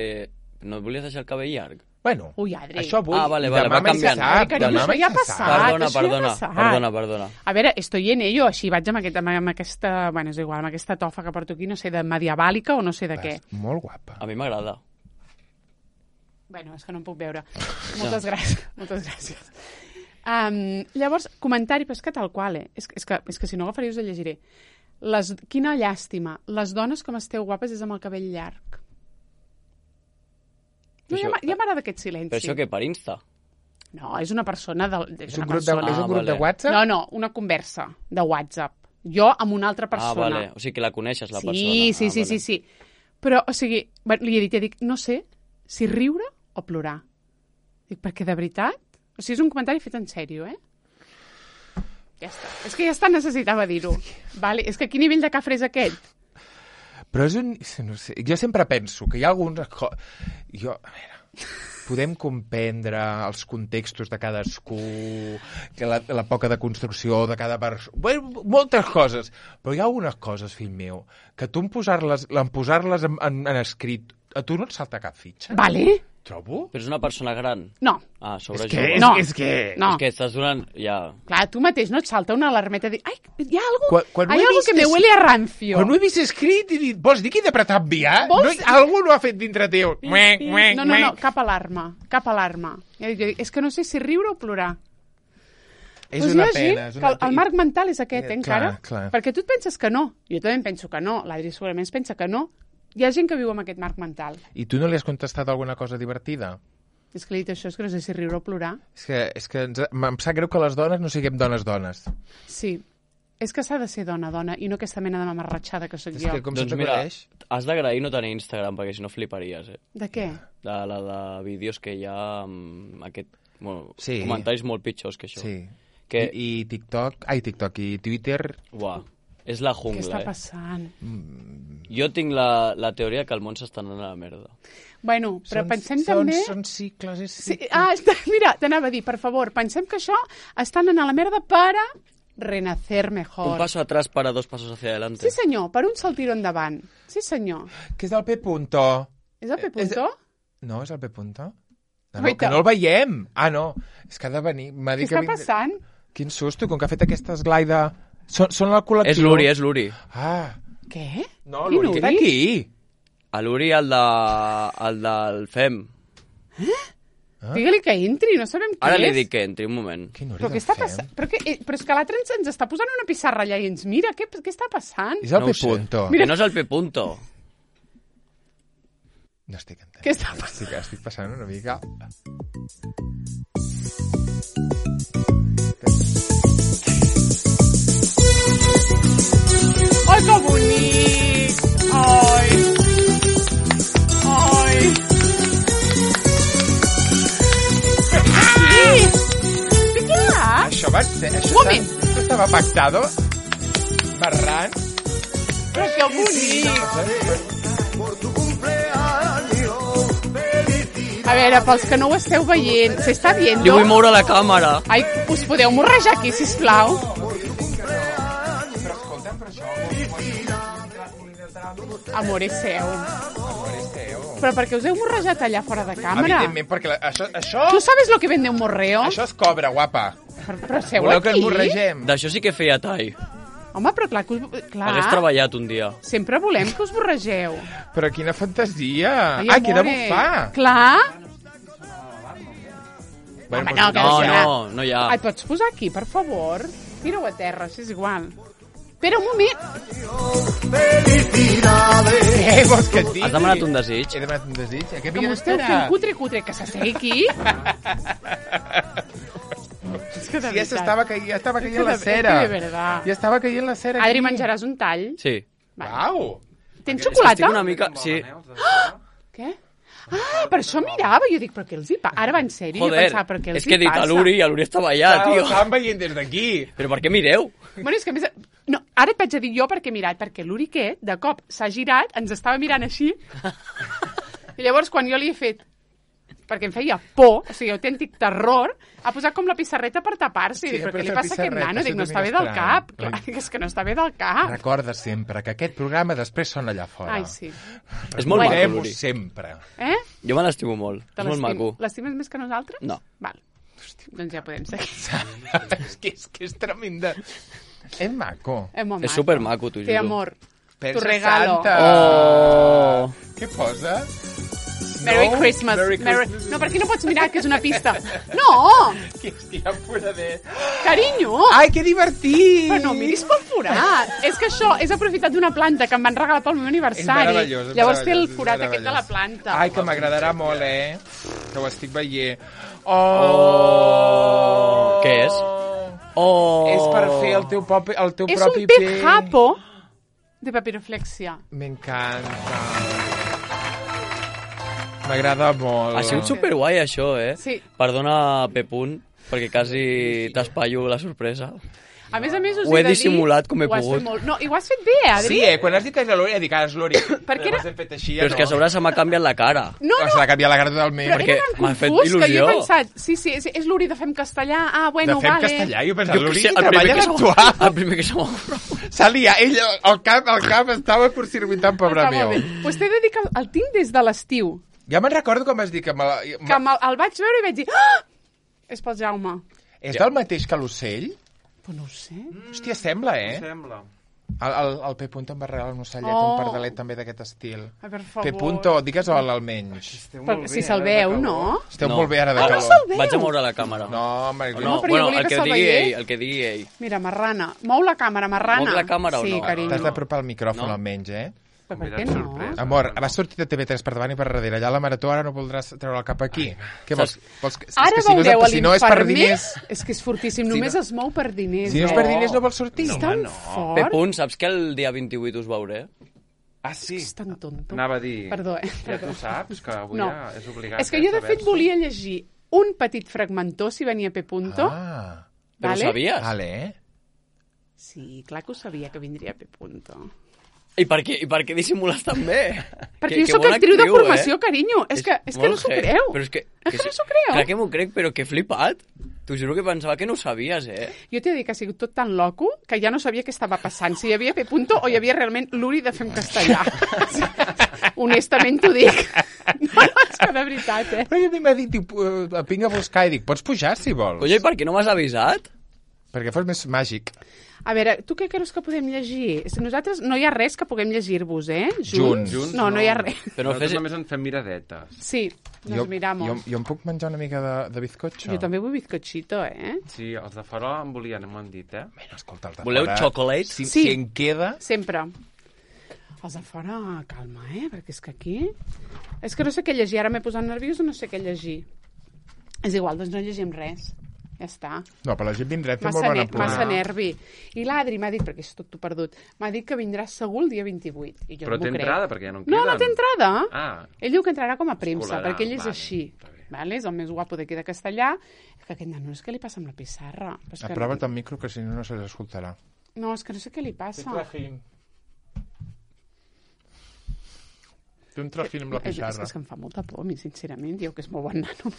No et volies deixar el cabell llarg? Bueno, Ui, Adri. això avui... Ah, vale, vale, demà va mai se canviant. sap, Ai, carinyo, demà això mai ja ha se passat. sap. Perdona, això ja ha perdona, passat. perdona, perdona. A veure, estoy en ello, així vaig amb, aquest, amb, amb aquesta... Bueno, és igual, amb aquesta tofa que porto aquí, no sé, de medievàlica o no sé de què. Vas molt guapa. A mi m'agrada. Bueno, és que no em puc veure. Moltes gràcies. Moltes gràcies. Um, llavors, comentari, però és que tal qual, eh? És, és, que, és que si no agafaré us el llegiré. Les, quina llàstima. Les dones com esteu guapes és amb el cabell llarg. No, Això- ja m'ha- ja m'agrada aquest silenci. Però això què, per Insta? No, és una persona... De, és És una un grup, de, persona. és un Ah, grup de vale. WhatsApp? No, no, una conversa de WhatsApp. Jo amb una altra Ah, persona. vale. O sigui que la coneixes, la sí, persona. sí, ah, sí, sí, vale. sí, sí. Però, o sigui, bueno, li he dit, ja dic, no sé si riure o plorar. Dic, perquè de veritat? O sigui, és un comentari fet en sèrio, eh? Ja està. És que ja està, necessitava dir-ho. Vale. És que quin nivell de cafre és aquest? Però és un... No sé, jo sempre penso que hi ha algunes coses... Jo, a veure, podem comprendre els contextos de cadascú, que la, la poca de construcció de cada persona... Bueno, moltes coses. Però hi ha algunes coses, fill meu, que tu en posar-les en, posar-les en, en, en escrit, a tu no et salta cap fitxa. Vale? Trobo? Però és una persona gran. No. Ah, sobre És que, jove. és, No. és que... No. És que estàs donant... Ja... Clar, tu mateix no et salta una alarmeta de dir, ai, hi ha algo, Quan- quan ho hay he algo vist que me és- huele a rancio. Quan ho he vist escrit, he dit, vols dir que he d'apretar enviar? Vols- No, algú no ha fet dintre teu. Muec, muec, No, no, no, muec. cap alarma, cap alarma. Ja dic, jo dic, és que no sé si riure o plorar. És Pues una hi ha gent pena. És que una... el, el marc mental és aquest, Eh, eh, encara. clar, clar. Perquè tu et penses que no. Jo també em penso que no. L'Adri segurament es pensa que no. Hi ha gent que viu amb aquest marc mental. I tu no li has contestat alguna cosa divertida? És que li he dit això, és que no sé si riure o plorar. És que, és que ens, em sap greu que les dones no siguem dones-dones. Sí. És que s'ha de ser dona-dona i no aquesta mena de mamarratxada que sóc És jo. que com Doncs se't mira, acudeix... has d'agrair no tenir Instagram, perquè si no fliparies, eh? De què? De la de vídeos que hi ha amb aquest... Bueno, Sí. comentaris molt pitjors que això. Sí. Que, I, I TikTok... Ai, TikTok i Twitter... uah, és la Què jungla, està eh? passant? Jo tinc la, la teoria que el món s'està anant a la merda. Bueno, però són, pensem són, també... Són cicles, és Sí, cicle. ah, està, mira, t'anava a dir, per favor, pensem que això està anant a la merda para renacer mejor. Un paso atrás para dos pasos hacia adelante. Sí, senyor, per un saltiro endavant. Sí, senyor. Que és el P. Punto. És el P. Eh, és- Punto? No, és el P. Punto? No, no, Guaita. que no el veiem. Ah, no. És que ha de venir. M'ha Què dit que està vindrà- passant? Quin susto, com que ha fet aquesta esglaida... Són, són el col·lectiu. És l'Uri, és l'Uri. Ah, Què? no, Quin l'Uri, que era Uri? aquí. A l'Uri, el, de, el del F E M. Ah. Digue-li que entri, no sabem qui Ara és. li dic que entri, un moment. Quin Uri Però què del està Fem? passant? Però, que, eh, però és que l'altre ens, ens està posant una pissarra allà i ens mira. Què, què està passant? És el No P. ho sé. Punto. Que no és el P. Punto. No estic entenent. Què està passant? Estic, estic passant una mica... Ai, que bonic! Ai! Ai! Ai! Sí, clar! Això va ser... Això Un moment. Estava, això estava pactado? Marran? Però que bonic! Por tu cumpleaños, felicidades. A veure, pels que no ho esteu veient, s'està viendo? Li vull moure la càmera. Ai, us podeu morrejar aquí, sisplau? Però escolta'm, però això... Amor, és seu. Amor, és teu. Però per què us heu morrejat allà fora de càmera? Evidentment, perquè la, això, això, ¿Tú sabes lo que vende un morreo? això es cobra, guapa. Però, però seu Voleu que aquí? ens morregem? D'això sí que feia tall. Home, però clar, que us... clar Hagués treballat un dia. sempre volem que us borregeu. Però quina fantasia. Ai, ah, que he de amore. bufar. Clar. Bueno, Home, doncs no, que No, serà. no, no hi ha. Ai, pots posar aquí, per favor? Tira-ho a terra, si és igual. Espera un moment. Felicidades. Què vols que et digui? Has demanat un desig? He demanat un desig. A què Que havia m'ho esteu d'esperar? fent cutre, cutre, que s'assegui aquí. És que de Sí, ja s'estava caient, ja estava És caient que la de- cera. és que de verdad. Ja estava caient la cera. Adri, aquí. menjaràs un tall? Sí. Uau! Tens Estic xocolata? una mica... Sí. Què? Ah, per això mirava. Jo dic, però què els hi passa? Ara va en sèrio, jo Joder, pensava, però què els és que he hi dit passa? a l'Uri i l'Uri estava allà, Ho tio. estàvem veient des d'aquí. Però per què mireu? Bueno, és que a més... No, ara et vaig a dir jo perquè he mirat, perquè l'Uri que de cop s'ha girat, ens estava mirant així, i llavors quan jo li he fet, perquè em feia por, o sigui, autèntic terror, ha posat com la pissarreta per tapar-se, i Sí, dic, però per què li fer passa a aquest pissarreta, nano? Dic, això no està bé també del estrany. cap. Clar, dic, és que no està bé del cap. Recorda sempre que aquest programa després sona allà fora. Ai, sí. És molt maco, Recordem-ho l'Uri. sempre. Eh? Jo me l'estimo molt. Te És molt l'estim- maco. L'estimes més que nosaltres? No. Val. Doncs ja podem seguir. és, que, és que és tremenda. És maco. És molt És maco. supermaco, t'ho Té juro. amor. Pensa Tu regalo. Santa. Oh! Què posa? Merry No? Christmas. Merry Merry... Christmas. No, per aquí no pots mirar, que és una pista. No! Que hòstia, pura de... Carinyo! Ai, que divertit! Però no miris pel forat. És que això és aprofitat d'una planta que em van regalar pel meu És aniversari. meravellós, és Llavors té el meravellós, és forat aquest de la meravellós. planta. Ai, que m'agradarà molt, eh? Que ho estic veient. Oh! Què és? Oh! És per fer el teu, propi, el teu És propi un pez japo de papiroflexia. M'encanta. M'agrada molt. Ha sigut superguai, això, eh? Sí. Perdona, P. Punt, perquè quasi t'espaio la sorpresa. A més a més, us Ho he de dir... dissimulat com he ho has pogut. fet molt... No, i ho has fet bé, Adri. Sí, eh? Quan has dit que és la Lori, he dit que és l'Ori. Perquè era- Llavors he fet així, Però és que a sobre se m'ha canviat la cara. No, Se no, l'ha canviat la cara totalment. però perquè era tan m'ha fet confús que jo il·lusió. he pensat... Sí, sí, és, és l'Uri de Fem Castellà. Ah, bueno, de fem vale. castellà, jo pensava, Jo l'Ori què sé, el primer treballa que se d'actuar. m'ha- el primer que se m'ha... S'ha liat, ell, el cap, el cap estava curcircuitant, pobre Està meu. molt bé. Pues t'he de dir que el, el tinc des de l'estiu. Ja me'n recordo com vas dir que... Me la... Que el, el vaig veure i vaig dir... Ah! És pel Jaume. És del mateix que l'ocell? Però no ho sé. Hòstia, sembla, eh? Sembla. El, el, el P. Punto em va regalar un ocellet, Oh. un pardalet també d'aquest estil. Ai, per favor. P. Punto, digues hola almenys. Esteu Però, molt si bé, se'l ara, veu, de no? calor. Esteu No. molt bé ara de Ah, calor. se'l veu. Vaig a moure la càmera. No, home, O no. no, però jo bueno, volia el que que se'l digui veiés. ell, el que digui ell. Mira, marrana. Mou la càmera, marrana. Mou la càmera o sí, no? carinyo. T'has d'apropar el micròfon No. almenys, eh? Però per què Convidat no? sorpresa. Amor, vas sortir de T V tres per davant i per darrere. Allà a la marató ara no voldràs treure el cap aquí. Què vols? vols que, és Ara que si no, veureu és, si no és per l'infermer. diners... És que és fortíssim, Si només no- es mou per diners. Si no és eh? per diners no vols sortir. És tan fort. P. Punt, saps que el dia vint-i-vuit us veuré? Ah, sí? És tan tonto. Anava a dir... Perdó, eh? Ja tu saps que avui No. ja és obligat. És que eh, jo, de fet, saber-s'ho. volia llegir un petit fragmentó, si venia P. Punto. Ah, Però Vale? ho sabies? vale, eh? Sí, clar que ho sabia que vindria P. Punto. I per què, i per què dissimules tan bé? Perquè Que- jo que sóc bona actriu de actriu, formació, eh? carinyo. És que, és que no molt s'ho heavy. creu. Però és que... És que no s'ho creu. Clar que m'ho crec, però que flipat. T'ho juro que pensava que no ho sabies, eh? Jo t'he de dir que ha sigut tot tan loco que ja no sabia què estava passant. Si hi havia P. Punto o hi havia realment l'Uri de fer en castellà. Honestament t'ho dic. No, no, és que de veritat, eh? Però a mi m'ha dit, diu, eh, vinga a buscar, i dic, pots pujar si vols? Coño, i per què no m'has avisat? Perquè fos més màgic. A veure, tu què creus que podem llegir? Si nosaltres no hi ha res que puguem llegir-vos, eh? Junts. Junts, No, no hi ha res. Però Nosaltres fes... només en fem miradetes. Sí, nos miramos. jo, jo em puc menjar una mica de, de bizcotxo? Jo també vull bizcochito, eh? Sí, els de fora en volien, m'ho han dit, eh? Bueno, escolta, els de Voleu fora, chocolate? Si, Sí. si en queda... Sempre. Els de fora, calma, eh? Perquè és que aquí... És que no sé què llegir. Ara m'he posat nerviosa, no sé què llegir. És igual, doncs no llegim res. Ja està. No, però la gent vindrà a fer Massa, molt bona ne pura. massa nervi. I l'Adri m'ha dit, perquè és tot tu perdut, m'ha dit que vindrà segur el dia vint-i-vuit. I jo Però no m'ho té crec. entrada, perquè ja no en No, queden. no té entrada. Ah. Ell diu que entrarà com a premsa, Colarà, perquè ell és vale, així. està bé. Vale? És el més guapo d'aquí de Castellà. Que aquest nano, és que li passa amb la pissarra. Però és que... Aprova't el micro, que si no, no se l'escoltarà. No, és que no sé què li passa. Té un trajín amb la És, és, pissarra. és que em fa molta por, a mi, sincerament. Diu que és molt bon nano.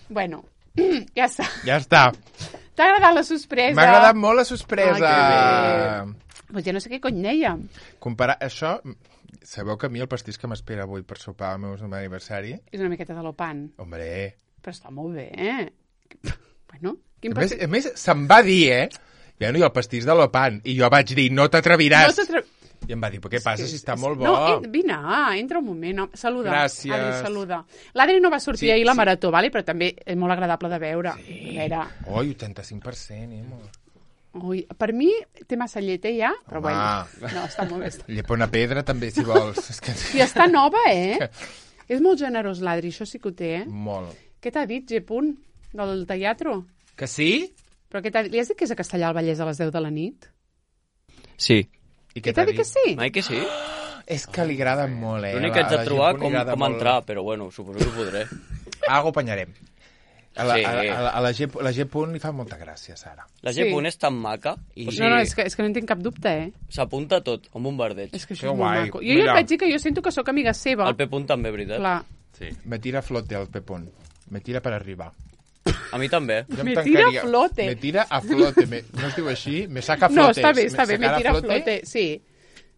Bueno, ja està. Ja està. T'ha agradat la sorpresa? M'ha agradat molt la sorpresa. Ah, Pues ja no sé què cony deia. Comparar això... Sabeu que a mi el pastís que m'espera avui per sopar al meu aniversari... És una miqueta de l'opan. Hombre... Però està molt bé, eh? Bueno, quin A més, pastís... a més se'm va dir, eh? Bueno, i el pastís de l'Opan. I jo vaig dir, no t'atreviràs. No t'atre- I em va dir, però què passa si està molt bo? No, en, vine, ah, entra un moment. No, saluda. Gràcies. Adri, saluda. L'Adri no va sortir Sí, ahir la sí. marató, vale? Però també és molt agradable de veure. Sí. A veure, Oi, vuitanta-cinc per cent, eh, amor? ui, per mi té massa llet, eh, ja? Però Home. bueno, no, està molt bé. Està... Llepa una pedra, també, si vols. És que... I està nova, eh? És molt generós, l'Adri, això sí que ho té, eh? Molt. Què t'ha dit, G. Punt, del teatre? Que sí? Però què t'ha dit? Li has dit que és a Castellà al Vallès a les deu de la nit? Sí. I Què t'ha dit que sí? Mai que sí? És que li agrada molt, eh? L'únic que haig A de la trobar gent li com, agrada com molt. entrar, però bueno, suposo que ho podré. Algo apanyarem. A la, Sí. a, a, a la, G, la G. Punt li fa molta gràcia, Sara. La Sí. G. Punt és tan maca. I- O No, sigui, no, és que, és que no en tinc cap dubte, eh? s'apunta tot, amb un verdeig. És que això Que és molt guai. maco. Jo ja Mira. et vaig dir que jo sento que sóc amiga seva. El P. Punt també, veritat. Clar. Sí. Me tira a flote el P. Punt. Me tira per arribar. A mi també. Jo em Me tancaria- tira a flote. Me tira a flote. Me, no es diu així? Me saca No, flotes. està bé, està bé, me sacarà tira a flote, sí.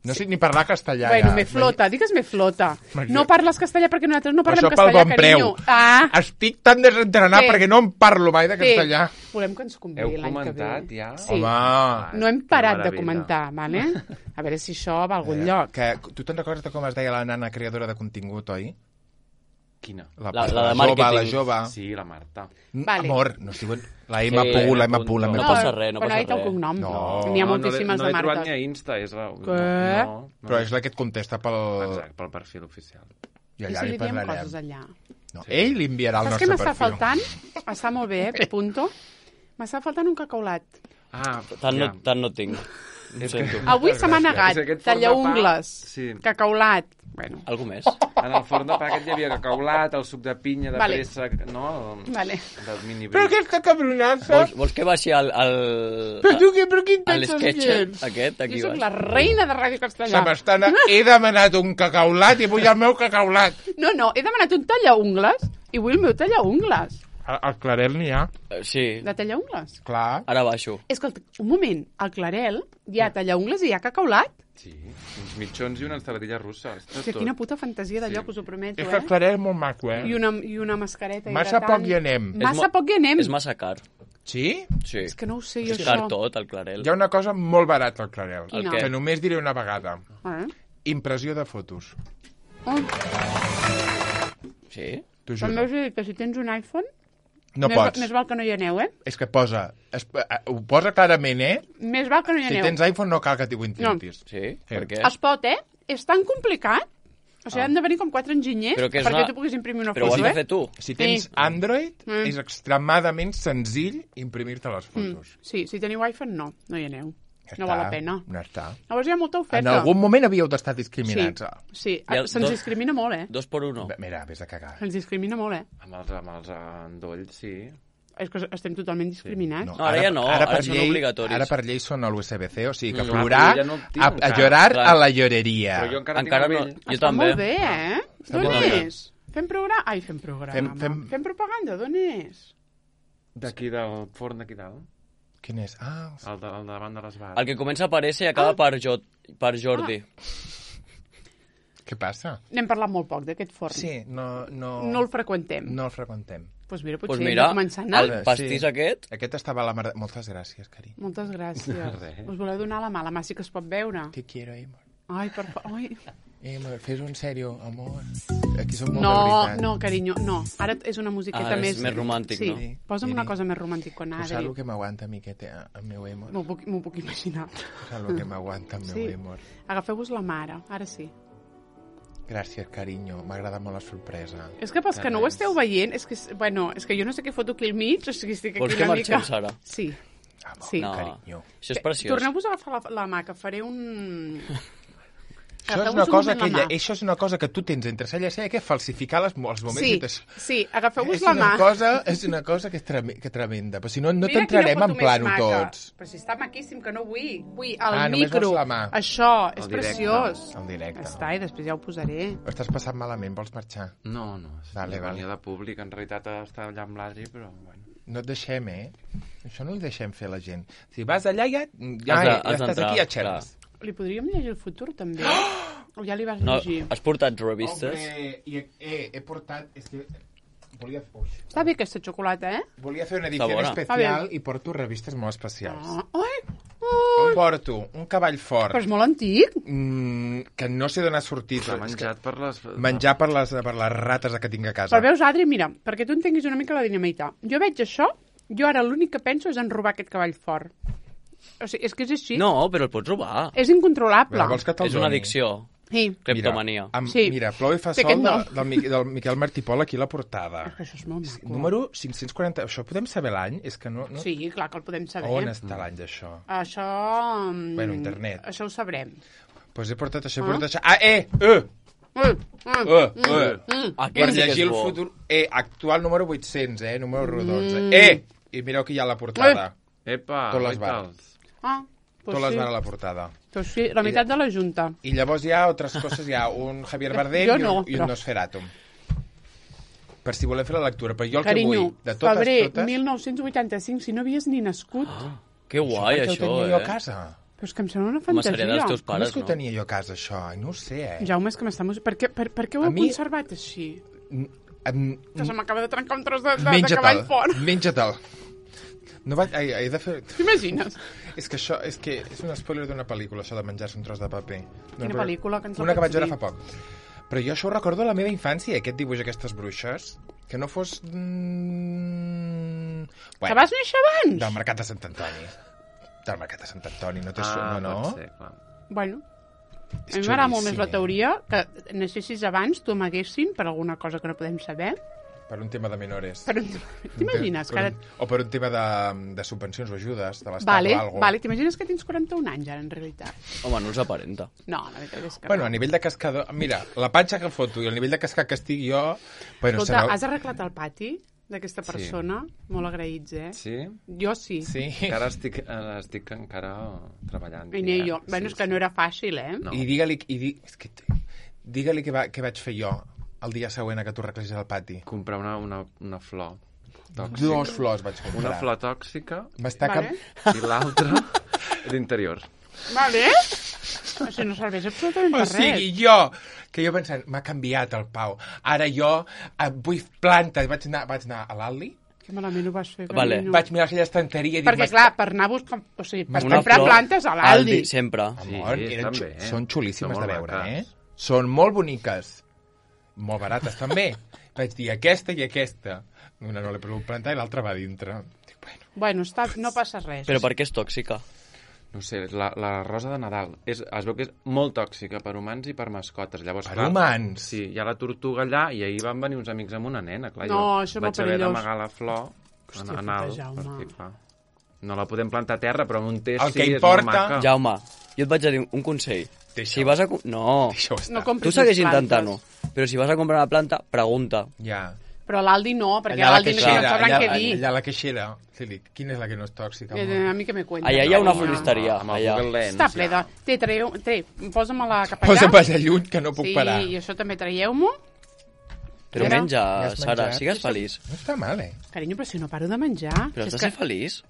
No sé ni parlar castellà. Bueno, ja. me flota, digues me flota. Me- No parles castellà perquè nosaltres no Per parlem això pel castellà, bon carinyo. preu. Ah, Estic tan desentrenat Què? perquè no em parlo mai de bé. castellà. Volem que ens convé Heu l'any que ve. comentat ja? Sí. Home, No hem Que parat de meravella. comentar, vale? A veure si això va a algun eh, lloc. que, tu te'n recordes de com es deia la nana creadora de contingut, oi? Quina? La- la de jove, màrqueting. la jove. Sí, la Marta. Mm, Vale. Amor, no es diuen... La M. Sí, Pu, la M. no, Pu, la M. no Pu. passa res, no però passa ha dit el res. cognom. No. N'hi ha No, moltíssimes no, de l'he- no l'he trobat Martes. ni a Insta. És la... Què? No, no, no. Però és la que et contesta pel... Exacte, pel perfil oficial. I I allà si li li diem parlarem. coses allà. No, ell li enviarà el Saps què nostre m'està perfil. faltant? Està molt bé, eh, punto. M'està faltant un cacaulat. Ah, Tant no, ja. tant no tinc. Ho És sento. que- Avui se m'ha negat. És aquest forn de Tallaungles. pa, sí. Cacaulat. Bueno, Algú més? En el forn de pa aquest hi havia cacaulat, el suc de pinya, de Vale. préssec, no? El, Vale. Del mini Però bric. aquesta cabronassa... Vols, vols que baixi al... al Però tu què, però qui et a penses l'esquetx que ets? aquest, aquí jo sóc baix? la reina de Ràdio Se Castellà. m'estan... He demanat un cacaulat i vull el meu cacaulat. No, no, he demanat un tallaungles i vull el meu tallaungles. Al, al Clarel n'hi ha. Eh, Sí, De tallaungles? Clar. ara baixo. Escolta, un moment, al Clarel hi ha tallaungles i hi ha cacaulat? Sí, uns mitjons i una ensaladilla russa. Està O sigui, tot. quina puta fantasia de Sí. lloc, us ho prometo, És que el eh? Clarel és molt maco, eh? I una, i una mascareta Massa hidratant. poc hi anem. Massa mo- poc hi anem. És massa car. Sí? Sí. És que no ho sé jo, És això. car tot, el Clarel. Hi ha una cosa molt barata al Clarel, Quina? que només diré una vegada. Eh? Impressió de fotos. Oh, Sí? T'ho també juro. us he dit que si tens un iPhone, No més, pots. més val que no hi aneu, eh? És que posa... Es, eh, ho posa clarament, eh? Més val que no hi Si aneu. tens iPhone no cal que t'hi ho intentis. Sí? Per què? Es pot, eh? És tan complicat. O sigui, Ah. han de venir com quatre enginyers Però que és perquè una- tu puguis imprimir una Però ho has foto, de eh? fer tu. Si tens Sí. Android, Mm. és extremadament senzill imprimir-te les fotos. Sí, si teniu iPhone, no. No hi aneu. Ja No està, val la pena. Ja està. Llavors hi ha molta oferta. En algun moment havíeu d'estar Sí, discriminats. sí. Hi ha Se'ns dos- discrimina molt, eh? Dos per uno. Bé, Mira, vés a cagar. Se'ns discrimina molt, eh? Amb els, amb els endolls, sí. És que estem totalment discriminats. No, ara ja no, ara per són llei, obligatoris. Ara per llei són a l'U S B C, o sigui que Mm, plorar, clar, ja no el tinc a, a encara. llorar Clar. a la lloreria. Però jo encara, Encara tinc no. el vell. Jo Està també. molt bé, eh? Està D'on molt bé. és? Fem programa? Ai, fem programa. Fem- Fem, fem- fem propaganda, d'on és? D'aquí del forn d'aquí dalt. Quin és? Ah, El, de, el davant de les bars. El que comença a aparèixer i acaba per, jo, per Jordi. què passa? N'hem parlat molt poc d'aquest forn. Sí, no, no, No el freqüentem. no el freqüentem. Doncs mira, potser Doncs hem mira, de començar a anar. el pastís Sí. aquest... Aquest estava a la mar... Moltes gràcies, carinyo. Moltes gràcies. Res. Us voleu donar la mà? La mà sí que es pot veure. Te quiero, amor. Ai, per fa... Ai. Amor, fes-ho en sèrio, amor. Aquí som molt de No, veritat. no, carinyo, no. Ara és una musiqueta Ara és més... més romàntic, sí. no? Sí. Posa'm una Miri, cosa més romàntica, Tu saps Adri. el que m'aguanta a mi aquest, eh, el meu amor? M'ho puc, m'ho puc imaginar. Tu saps el que m'aguanta el meu Sí. amor? Agafeu-vos la mare, ara sí. Gràcies, carinyo. M'ha agradat molt la sorpresa. És que pels que no ho esteu veient, és que, bueno, és que jo no sé què foto aquí al mig, o sigui, estic aquí Vols que una marxem, mica... Sara? Sí. Amor, Sí. No, carinyo. això és preciós. Torneu-vos a agafar la, la mà, que faré un... Això és, Agafeu-vos una un cosa moment que la ella, mà. això és una cosa que tu tens entre cella i cella, que és falsificar les, els moments. Sí, i t'aix- sí, agafeu-vos és la una mà. cosa, és una cosa que és treme, que tremenda. Però si no, no Mira t'entrarem quina en foto plano més maca. tots. Però si està maquíssim, que no vull. Vull el Ah, només micro. vols la mà. Això, és El directe. preciós. El directe. Ja està, i després ja ho posaré. Ho estàs passant malament, vols marxar? No, no. Vale, vale. Venia de públic, en realitat està allà amb l'Adri, però bueno. No et deixem, eh? Això no li deixem fer a la gent. Si vas allà, ja, ja, Has de- ja has estàs d'entrar, aquí a xerres. Li podríem llegir el futur, també? O ja li vas No, llegir? has portat revistes? Hombre, i he, he, he portat... És que volia, ui, Està bé aquesta xocolata, eh? volia fer una edició bona. especial i porto revistes molt especials. Ah, ai, On porto? Un cavall fort. però és molt antic. Mm, que no sé d'on ha sortit. S'ha És que menjat per les... menjar per les, per les rates que tinc a casa. Però veus, Adri, mira, perquè tu entenguis una mica la dinamita. Jo veig això, jo ara l'únic que penso és en robar aquest cavall fort. O sigui, és que és així. No, però el pots robar. És incontrolable. Mira, vols que te'l És una doni? addicció. Sí. Cleptomania. Mira, amb, Sí. mira, Plou i fa Té sol aquest de, nom. del, Miquel, del Miquel Martí Pol aquí a la portada. És que això és molt maco. Número cinc-cents quaranta... Això podem saber l'any? És que no... no... Sí, clar que el podem saber. On està l'any d'això? Això... mm, Bueno, internet. Això ho sabrem. Doncs pues he portat això, he portat això... Ah, eh! Eh! Mm, mm, Eh! eh. mm. Per Aquest sí que llegir és el bo. futur... Eh, actual número vuit-cents, eh? Número rodons. Mm. Eh! I mireu que hi ha a la portada. Epa, Tot les guaitals. Ah, Tot doncs les sí. va a la portada. Doncs sí, la meitat de la Junta. I llavors hi ha altres coses, hi ha un Javier Bardem Jo i un, no, i un però- Nosferatu. Per si voleu fer la lectura. Però jo el Carinyo, que vull, de totes, febrer totes... mil nou-cents vuitanta-cinc, si no havies ni nascut. Que guai, per què ho això, tenia jo a eh? casa? Però és que em sembla una Home, seria dels fantasia. teus Com pares, és que ho no? tenia jo a casa, això? Ai, no ho sé, eh? Jaume, és que m'està... mus- Per què, per, per què ho A heu mi- conservat així? Mm, em- Que se m'acaba de trencar un tros de, de, de Menja-te'l, cavall fort. menja-te'l. No vaig... Ai, he de fer... T'imagines? És que això és, que és un spoiler d'una pel·lícula, això de menjar-se un tros de paper. Quina però- pel·lícula, que ens la Una que pots vaig veure dir? fa poc. Però jo això ho recordo de la meva infància, aquest dibuix, aquestes bruixes, que no fos... Mm... Que vas néixer abans? Del Mercat de Sant Antoni. Del Mercat de Sant Antoni, no té... Ah, no, no? pot ser, clar. Bueno, És a mi m'agrada molt més xulíssim, la eh? teoria que naixessis abans, tu amaguessin per alguna cosa que no podem saber. Per un tema de menores. Per un... T'imagines? Per Que ara... un, o per un tema de, de subvencions o ajudes de l'Estat Vale, o alguna vale, t'imagines que tens quaranta-un anys ara, en realitat? Home, no els aparenta. No, la veritat és que Bueno, a no. nivell de cascador... Mira, la panxa que foto i el nivell de cascar que estic jo... Bueno, Escolta, serà- has arreglat el pati d'aquesta persona? Molt agraïts, eh? Sí? Jo sí. Sí. Encara estic, eh, estic encara treballant. I ni jo. Bueno, és que no era fàcil, eh? No. I digue-li... I di... és que... Digue-li què, va, què vaig fer jo el dia següent a que tu arreglis el pati. Comprar una, una, una flor tòxica. Dos flors vaig comprar. Una flor tòxica M'està Vale. cap... i l'altra d'interior. Vale. O sigui, no serveix absolutament O per sigui, res. jo, que jo pensant, m'ha canviat el Pau. Ara jo eh, vull plantes. Vaig anar, vaig anar a l'Aldi Que malament ho vas fer, Vale. carinyo. Vaig mirar aquella estanteria i dir... Perquè, clar, per anar a buscar... O sigui, per Una comprar flor, plantes a l'Aldi. sempre. Amor, Sí, eren estan xu- bé. són xulíssimes Són de molt veure, eh? maques. Són molt boniques. Molt barates, també. Vaig dir aquesta i aquesta. Una no l'he pogut plantar i l'altra va dintre. Dic, bueno, Bueno, està, no passa res. Però per què és tòxica? No sé, la, la rosa de Nadal és, es veu que és molt tòxica per humans i per mascotes. Llavors, per clar, humans. Sí, hi ha la tortuga allà i ahir van venir uns amics amb una nena. Clar, No, jo això és molt vaig haver perillós. d'amagar la flor Hòstia, en, en alt, puta, Jaume. perquè, clar, no la podem plantar a terra, però en un test El que sí, importa- és molt maca. Jaume, jo et vaig a dir un consell. Deixa-ho. Si vas a... co- No, Deixa-ho estar. No compris tu segueix més plantes. intentant-ho. Però si vas a comprar una planta, pregunta. Ja. Però l'Aldi no, perquè Allà a la l'Aldi no queixera, sabran allà, què dir. allà a la queixera. Sí, dic, quina és la que no és tòxica? Eh, amor? A mi que me cuenta. Allà hi ha una No. floristeria. Amb el Allà. Google Lens. Està ple de... ja. Té, traieu... Té, posa'm-la cap allà. Posa'm allà lluny, que no puc sí, parar. i això també traieu-m'ho. Però Mira, menja, ja has Sara, menjat? sigues feliç. No està mal, eh? Carinyo, però si no paro de menjar. Però Si has és de ser que... feliç.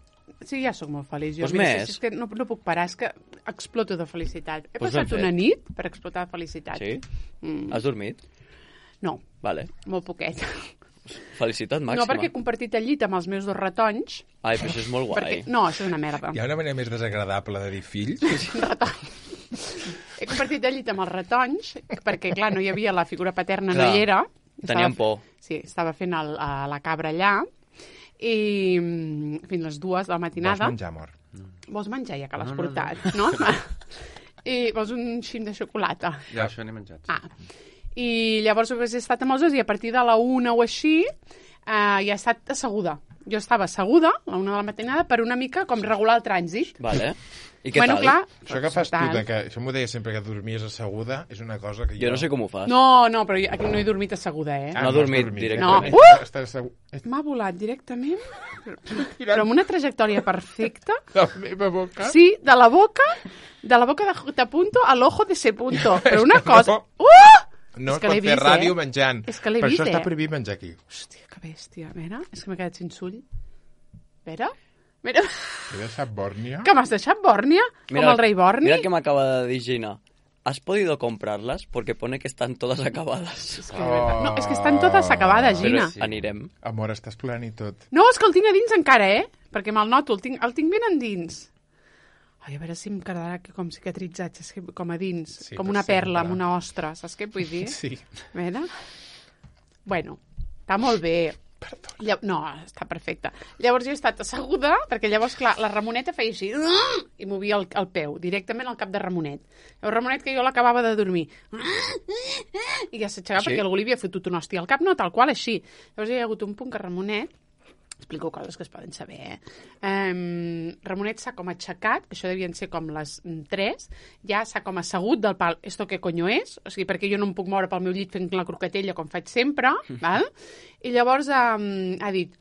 Sí, ja sóc molt feliç. Jo, Pues mira, més. si és que no, no puc parar, és que exploto de felicitat. He Pues passat ben fet. una nit per explotar de felicitat. Sí? Mm, Has dormit? no, Vale. molt poquet. Felicitat màxima. No, perquè he compartit el llit amb els meus dos ratons. Ai, però això és molt guai. Perquè... No, això és una merda. Hi ha una manera més desagradable de dir fills? He compartit el llit amb els ratons, perquè, clar, no hi havia la figura paterna, Clar, no hi era. tenien por. Sí, estava fent el, a la cabra allà, i mm, fins les dues de la Vols matinada. menjar, amor? Vols menjar, ja que l'has No, no, no. portat, no? I vols un xim de xocolata. Ja, això n'he menjat. Ah, i llavors he estat amb els dos i a partir de la una o així eh, ja he estat asseguda. Jo estava asseguda a la una de la matinada per una mica com regular el trànsit. Vale. I què bueno, tal? clar... Això que fas tu, tal. de que, això m'ho deia sempre que dormies asseguda, és una cosa que jo... Jo no sé com ho fas. No, no, però jo aquí no he dormit asseguda, eh? Ah, No ha has dormit No. directament. Uh! Estàs assegut. M'ha volat directament, però amb una trajectòria perfecta. La meva boca? Sí, de la boca, de la boca de J. punto al ojo de C. punto. Però una cosa... No. Uh! No És es que pot l'he fer vist, ràdio eh? menjant. És que l'he Per vist, això està eh? prohibit menjar aquí. Hòstia, que bèstia. A veure, és que m'he quedat sense ull. A veure, mira, He deixat bòrnia? que m'has deixat bòrnia, com el rei Borni. Mira que m'acaba de dir Gina. ¿Has podido comprarlas? Porque pone que están todas acabadas. És que, de veritat, no, és que estan totes acabades, Gina. Però anirem. Amor, estàs plorant i tot. No, és que el tinc a dins encara, eh? Perquè me'l noto, el tinc, el tinc ben endins. Ai, a veure si em quedarà aquí com cicatritzat, saps què? Com a dins, Sí, com per una perla sempre. amb una ostra, saps què vull dir? Sí. A veure... Bueno, està molt bé. Perdó. Lla... No, està perfecte. Llavors jo he estat asseguda, perquè llavors, clar, la Ramoneta feia així, i movia el, el peu, directament al cap de Ramonet. El Ramonet que jo l'acabava de dormir. I ja s'aixecava Sí? perquè algú li havia fotut una hòstia al cap, no, tal qual, així. Llavors hi ha hagut un punt que Ramonet, explico coses que es poden saber, eh? Um, Ramonet s'ha com aixecat, que això devien ser com les mm, tres, ja s'ha com assegut del pal, esto què conyo és? O sigui, perquè jo no em puc moure pel meu llit fent la croquetella com faig sempre, val? I llavors um, ha dit,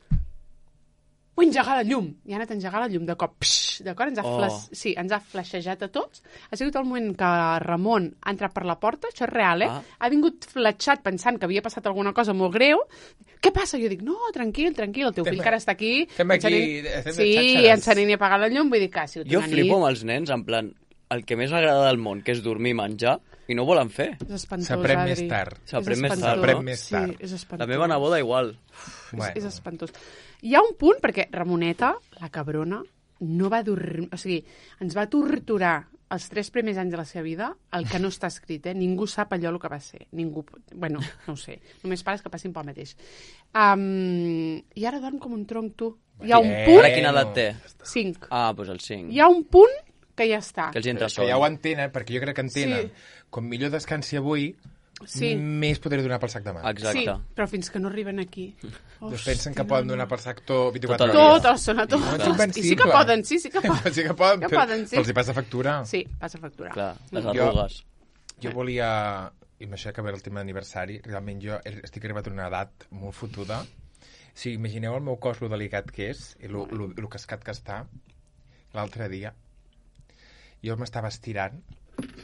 vull engegar la llum. I ha anat a engegar la llum de cop. Psh, d'acord? Ens, ha Oh. flash... sí, ens ha flashejat a tots. Ha sigut el moment que Ramon ha entrat per la porta, això és real, eh? Ah. Ha vingut fletxat pensant que havia passat alguna cosa molt greu. Què passa? Jo dic, no, tranquil, tranquil, el teu Estem- fill encara està aquí. estem aquí, encenent- estem de Sí, xàxares. encenent i apagant la llum, vull dir que ha sigut Jo una flipo nit. amb els nens, en plan, el que més m'agrada del món, que és dormir i menjar, i no ho volen fer. És espantós, S'aprèn Adri. més tard. S'aprèn És més espantós. tard, S'aprèn no? més tard. Sí, és espantós. La meva neboda igual. Bueno. És, és espantós. Hi ha un punt, perquè Ramoneta, la cabrona, no va dormir... O sigui, ens va torturar els tres primers anys de la seva vida, el que no està escrit, eh? Ningú sap allò el que va ser. Ningú... Bueno, no ho sé. Només pares que passin pel mateix. Um, I ara dorm com un tronc, tu. Hi ha un Eh, punt... Ara quina edat té? Cinc. Ah, doncs el cinc. Hi ha un punt que ja està. Que els hi entra Que sol. ja ho entenen, perquè jo crec que entenen. Sí. Com millor descansi avui, Sí. més podré donar pel sac demà. Exacte. Sí, però fins que no arriben aquí. Doncs pensen que poden donar per sac tot vint-i-quatre Tot el hores. dia. Tot, els sona No és tots. I sí que invencible. poden, sí, sí que poden. Sí que poden, Que però, poden, sí. però els hi passa factura. Sí, passa a facturar. Clar, les Jo- arrugues. Jo volia, i amb això que ve el tema d'aniversari, realment jo estic arribat a una edat molt fotuda. Si imagineu el meu cos, lo delicat que és, i lo, lo, lo cascat que està, l'altre dia, jo m'estava estirant,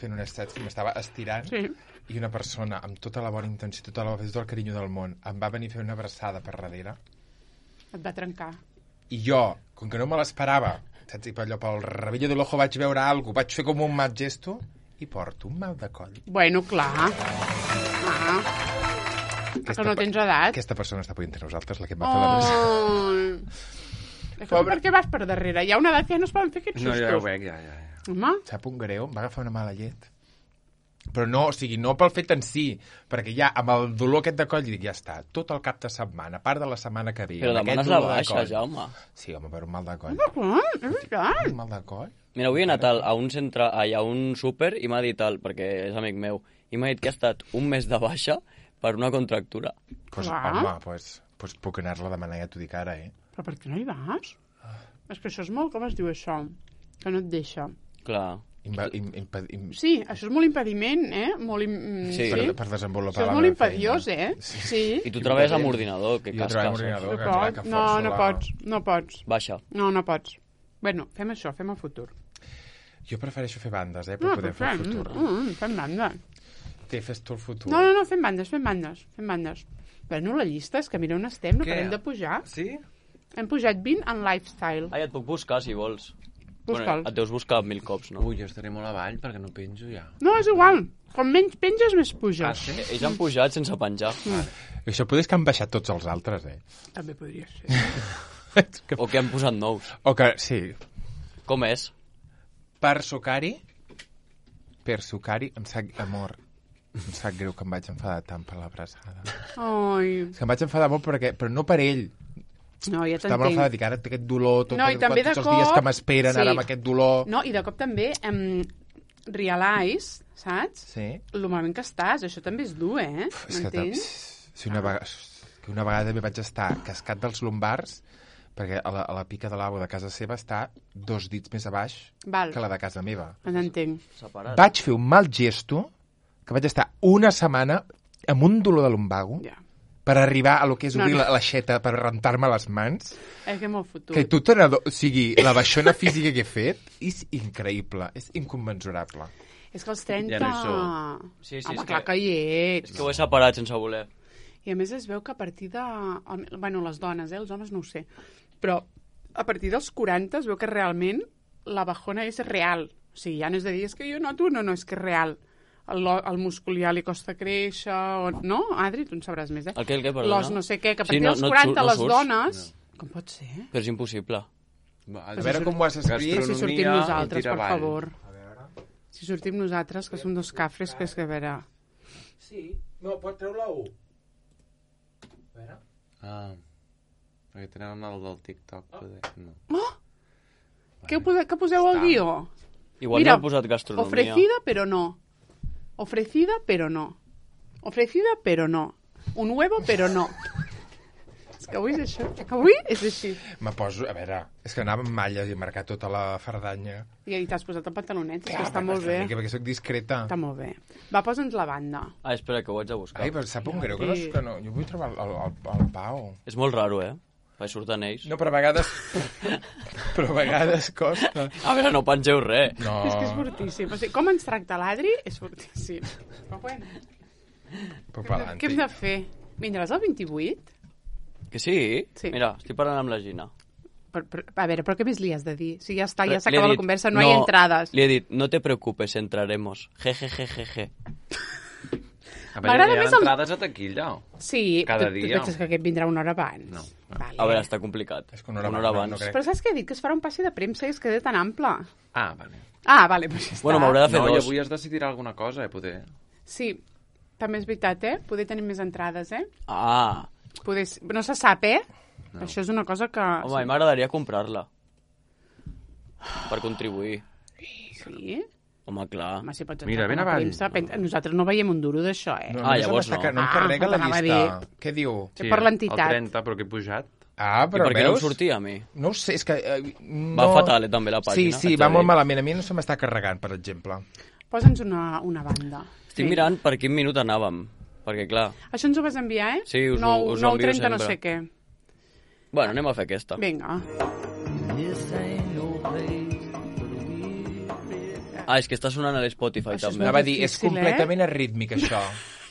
fent un estat, m'estava estirant, Sí. i una persona amb tota la bona intenció, tota la, tot el carinyo del món, em va venir a fer una abraçada per darrere, Et va trencar. i jo, com que no me l'esperava, saps, i per allò, pel rabillo de l'ojo vaig veure alguna cosa, vaig fer com un mal gesto, i porto un mal de coll. Bueno, clar. Ah. Que no tens edat. Aquesta persona està podent entre nosaltres, la que em va fer la presa. Oh. Per què vas per darrere? Hi ha una edat que ja no es poden fer aquests No, sustos. ja ho veig, ja, ja. ja. Home, Sap un greu, em va agafar una mala llet. Però no, o sigui, no pel fet en si, perquè ja amb el dolor aquest de coll dic, ja està, tot el cap de setmana, a part de la setmana que ve. Però amb aquest demanes la dolor de baixa, coll. Jaume. Sí, home, per un mal de coll. clar, és veritat. Un mal de coll? Mira, avui he anat al- a un centre, ai, a un súper i m'ha dit, el, perquè és amic meu, i m'ha dit que ha estat un mes de baixa per una contractura. Pues, Clar. home, pues, pues puc anar-la a demanar, ja t'ho dic ara, eh? Però per què no hi vas? És que això és molt, com es diu això? Que no et deixa. Clar. Imba, im, impa, im, Sí, això és molt impediment, eh? Molt im... Sí. per, sí. per desenvolupar Això és la molt meva impediós, feina. eh? Sí. I tu treballes amb ordinador, que Jo treballo amb casques. ordinador. No, que clar, pots. que no, forço no la- pots. No pots. Baixa. No, no pots. Bueno, fem això, fem el futur. Jo prefereixo fer bandes, eh, per No, poder però fer el fem, futur. mm, mm, fem bandes. Té, fes tu el futur. No, no, no, fem bandes, fem bandes, fem bandes. Bueno, la llista és que mira on estem, no Què? parem de pujar. Sí? Hem pujat vint en lifestyle. Ai, et puc buscar, si vols. Busca'l. et deus buscar mil cops, no? Ui, jo estaré molt avall perquè no penjo ja. No, és igual. Com menys penges, més Ah, puges. sí? Ells han pujat sense penjar. Això potser és que han baixat tots els altres, eh? També podria ser. És que- O que han posat nous. o que, sí, Com és? per sucari, per sucari, em sap, amor, em sap greu que em vaig enfadar tant per l'abraçada. Ai, És que em vaig enfadar molt perquè, però no per ell. no, ja Estava molt enfadat, t'entenc. dic, ara té aquest dolor, tot, No, i també tots de els dies cop- que m'esperen, sí. ara amb aquest dolor. No, i de cop també em realize, saps? Sí. Lo malament que estàs, això també és dur, eh? És que, tam- M'entens? si una, vegada, que una vegada també vaig estar cascat dels lumbars perquè a la, a la pica de l'agua de casa seva està dos dits més a baix Val, que la de casa meva. t'entenc. Separat. Vaig fer un mal gesto que vaig estar una setmana amb un dolor de lumbago Ja. per arribar a lo que és No, obrir no. la l'aixeta per rentar-me les mans. És que molt futur. Que tu te n'ado- o sigui, la baixona física que he fet és increïble, és inconmensurable. És que els trenta... Ja no hi som. Sí, sí, Home, és clar que- que hi ets. És que ho he separat sense voler. I a més es veu que a partir de... Bueno, les dones, eh? Els homes no ho sé. Però a partir dels quaranta es veu que realment la bajona és real. O sigui, ja no és de dir, és que jo noto, no, no, és que és real. El, el múscul ja li costa créixer, o... no? Adri, tu en sabràs més, eh? El què, el què, perdona? Los no sé què, que a Sí, partir no- dels no et quaranta surt- no les surts? dones... Com pot ser? Però és impossible. Va, A veure com ho has escrit. Si sortim Gastronomia nosaltres, i tira per avall. favor. Si sortim nosaltres, que som dos cafres, que és que a veure... Sí, no, pot treure la U. A veure. Ah, perquè tenen el del TikTok, poder. No. Què, ho pose- què poseu al Està. guió? Igual Mira, no he posat gastronomia. Ofrecida, però no. Ofrecida, però no. Ofrecida, però no. Un huevo, però no. És que avui és això. Avui és així. Me poso, a veure, és que anava amb malles i he marcat tota la fardanya. I, i t'has posat el pantalonet, és que Ah, està perquè molt bé. Perquè, perquè soc discreta. Està molt bé. Va, posa'ns la banda. Ah, espera, que ho haig de buscar. Ai, però sap un greu que no, és que no. Jo vull trobar el, el, el Pau. És molt raro, eh? Perquè surten ells. No, però a vegades... però a vegades costa. A veure, no pengeu res. No. És que és fortíssim. O sigui, com ens tracta l'Adri és fortíssim. Però bueno, Però què hem de fer? Vindràs al vint-i-vuit? Que sí? Sí. Mira, estic parlant amb la Gina. Per, per, a veure, però què més li has de dir? Si ja està, ja Li he s'acaba la dit, conversa, no, hay entrades. Li he dit, no te preocupes, entraremos. Je, je, je, je, je. A veure, M'agrada hi ha més el- entrades a taquilla. Sí, Cada tu, tu dia. penses que aquest vindrà una hora abans. No. Vale. A veure, està complicat. És que una hora una abans, hora no, abans. no crec. Però saps què he dit? Que es farà un passi de premsa i es queda tan ample. Ah, vale. Ah, vale, doncs ja està. Bueno, m'haurà de fer No, i dos. avui es decidirà alguna cosa, eh, poder. Sí, també és veritat, eh? Poder tenir més entrades, eh? Ah, Poder... No se sap, eh? No. Això és una cosa que... home, a mi m'agradaria comprar-la. Per contribuir. Sí? Home, clar. Home, si pots Mira, entrar ben com a avall. premsa, pen- nosaltres no veiem un duro d'això, eh? No, Ah, només llavors em està- no. no em Ah, carrega la t'anava a llista. dir. Què diu? Sí, per l'entitat. El trenta, però que he pujat. Ah, I però per què no em veus? sortia a mi? No ho sé, és que... Eh, no... Va fatal, eh, també, la Sí, pàgina, sí, haig de va molt dir. malament. A mi no se m'està carregant, per exemple. Posa'ns una, una banda. Estic mirant per quin minut anàvem. Perquè, clar... Això ens ho vas enviar, eh? Sí, us ho- nou, us ho nou envio trenta no sempre. sé què. Bueno, anem a fer aquesta. Vinga. Ah, és que està sonant a l'Spotify, Això és també. molt Anava a dir, és difícil, eh? completament arrítmic, això.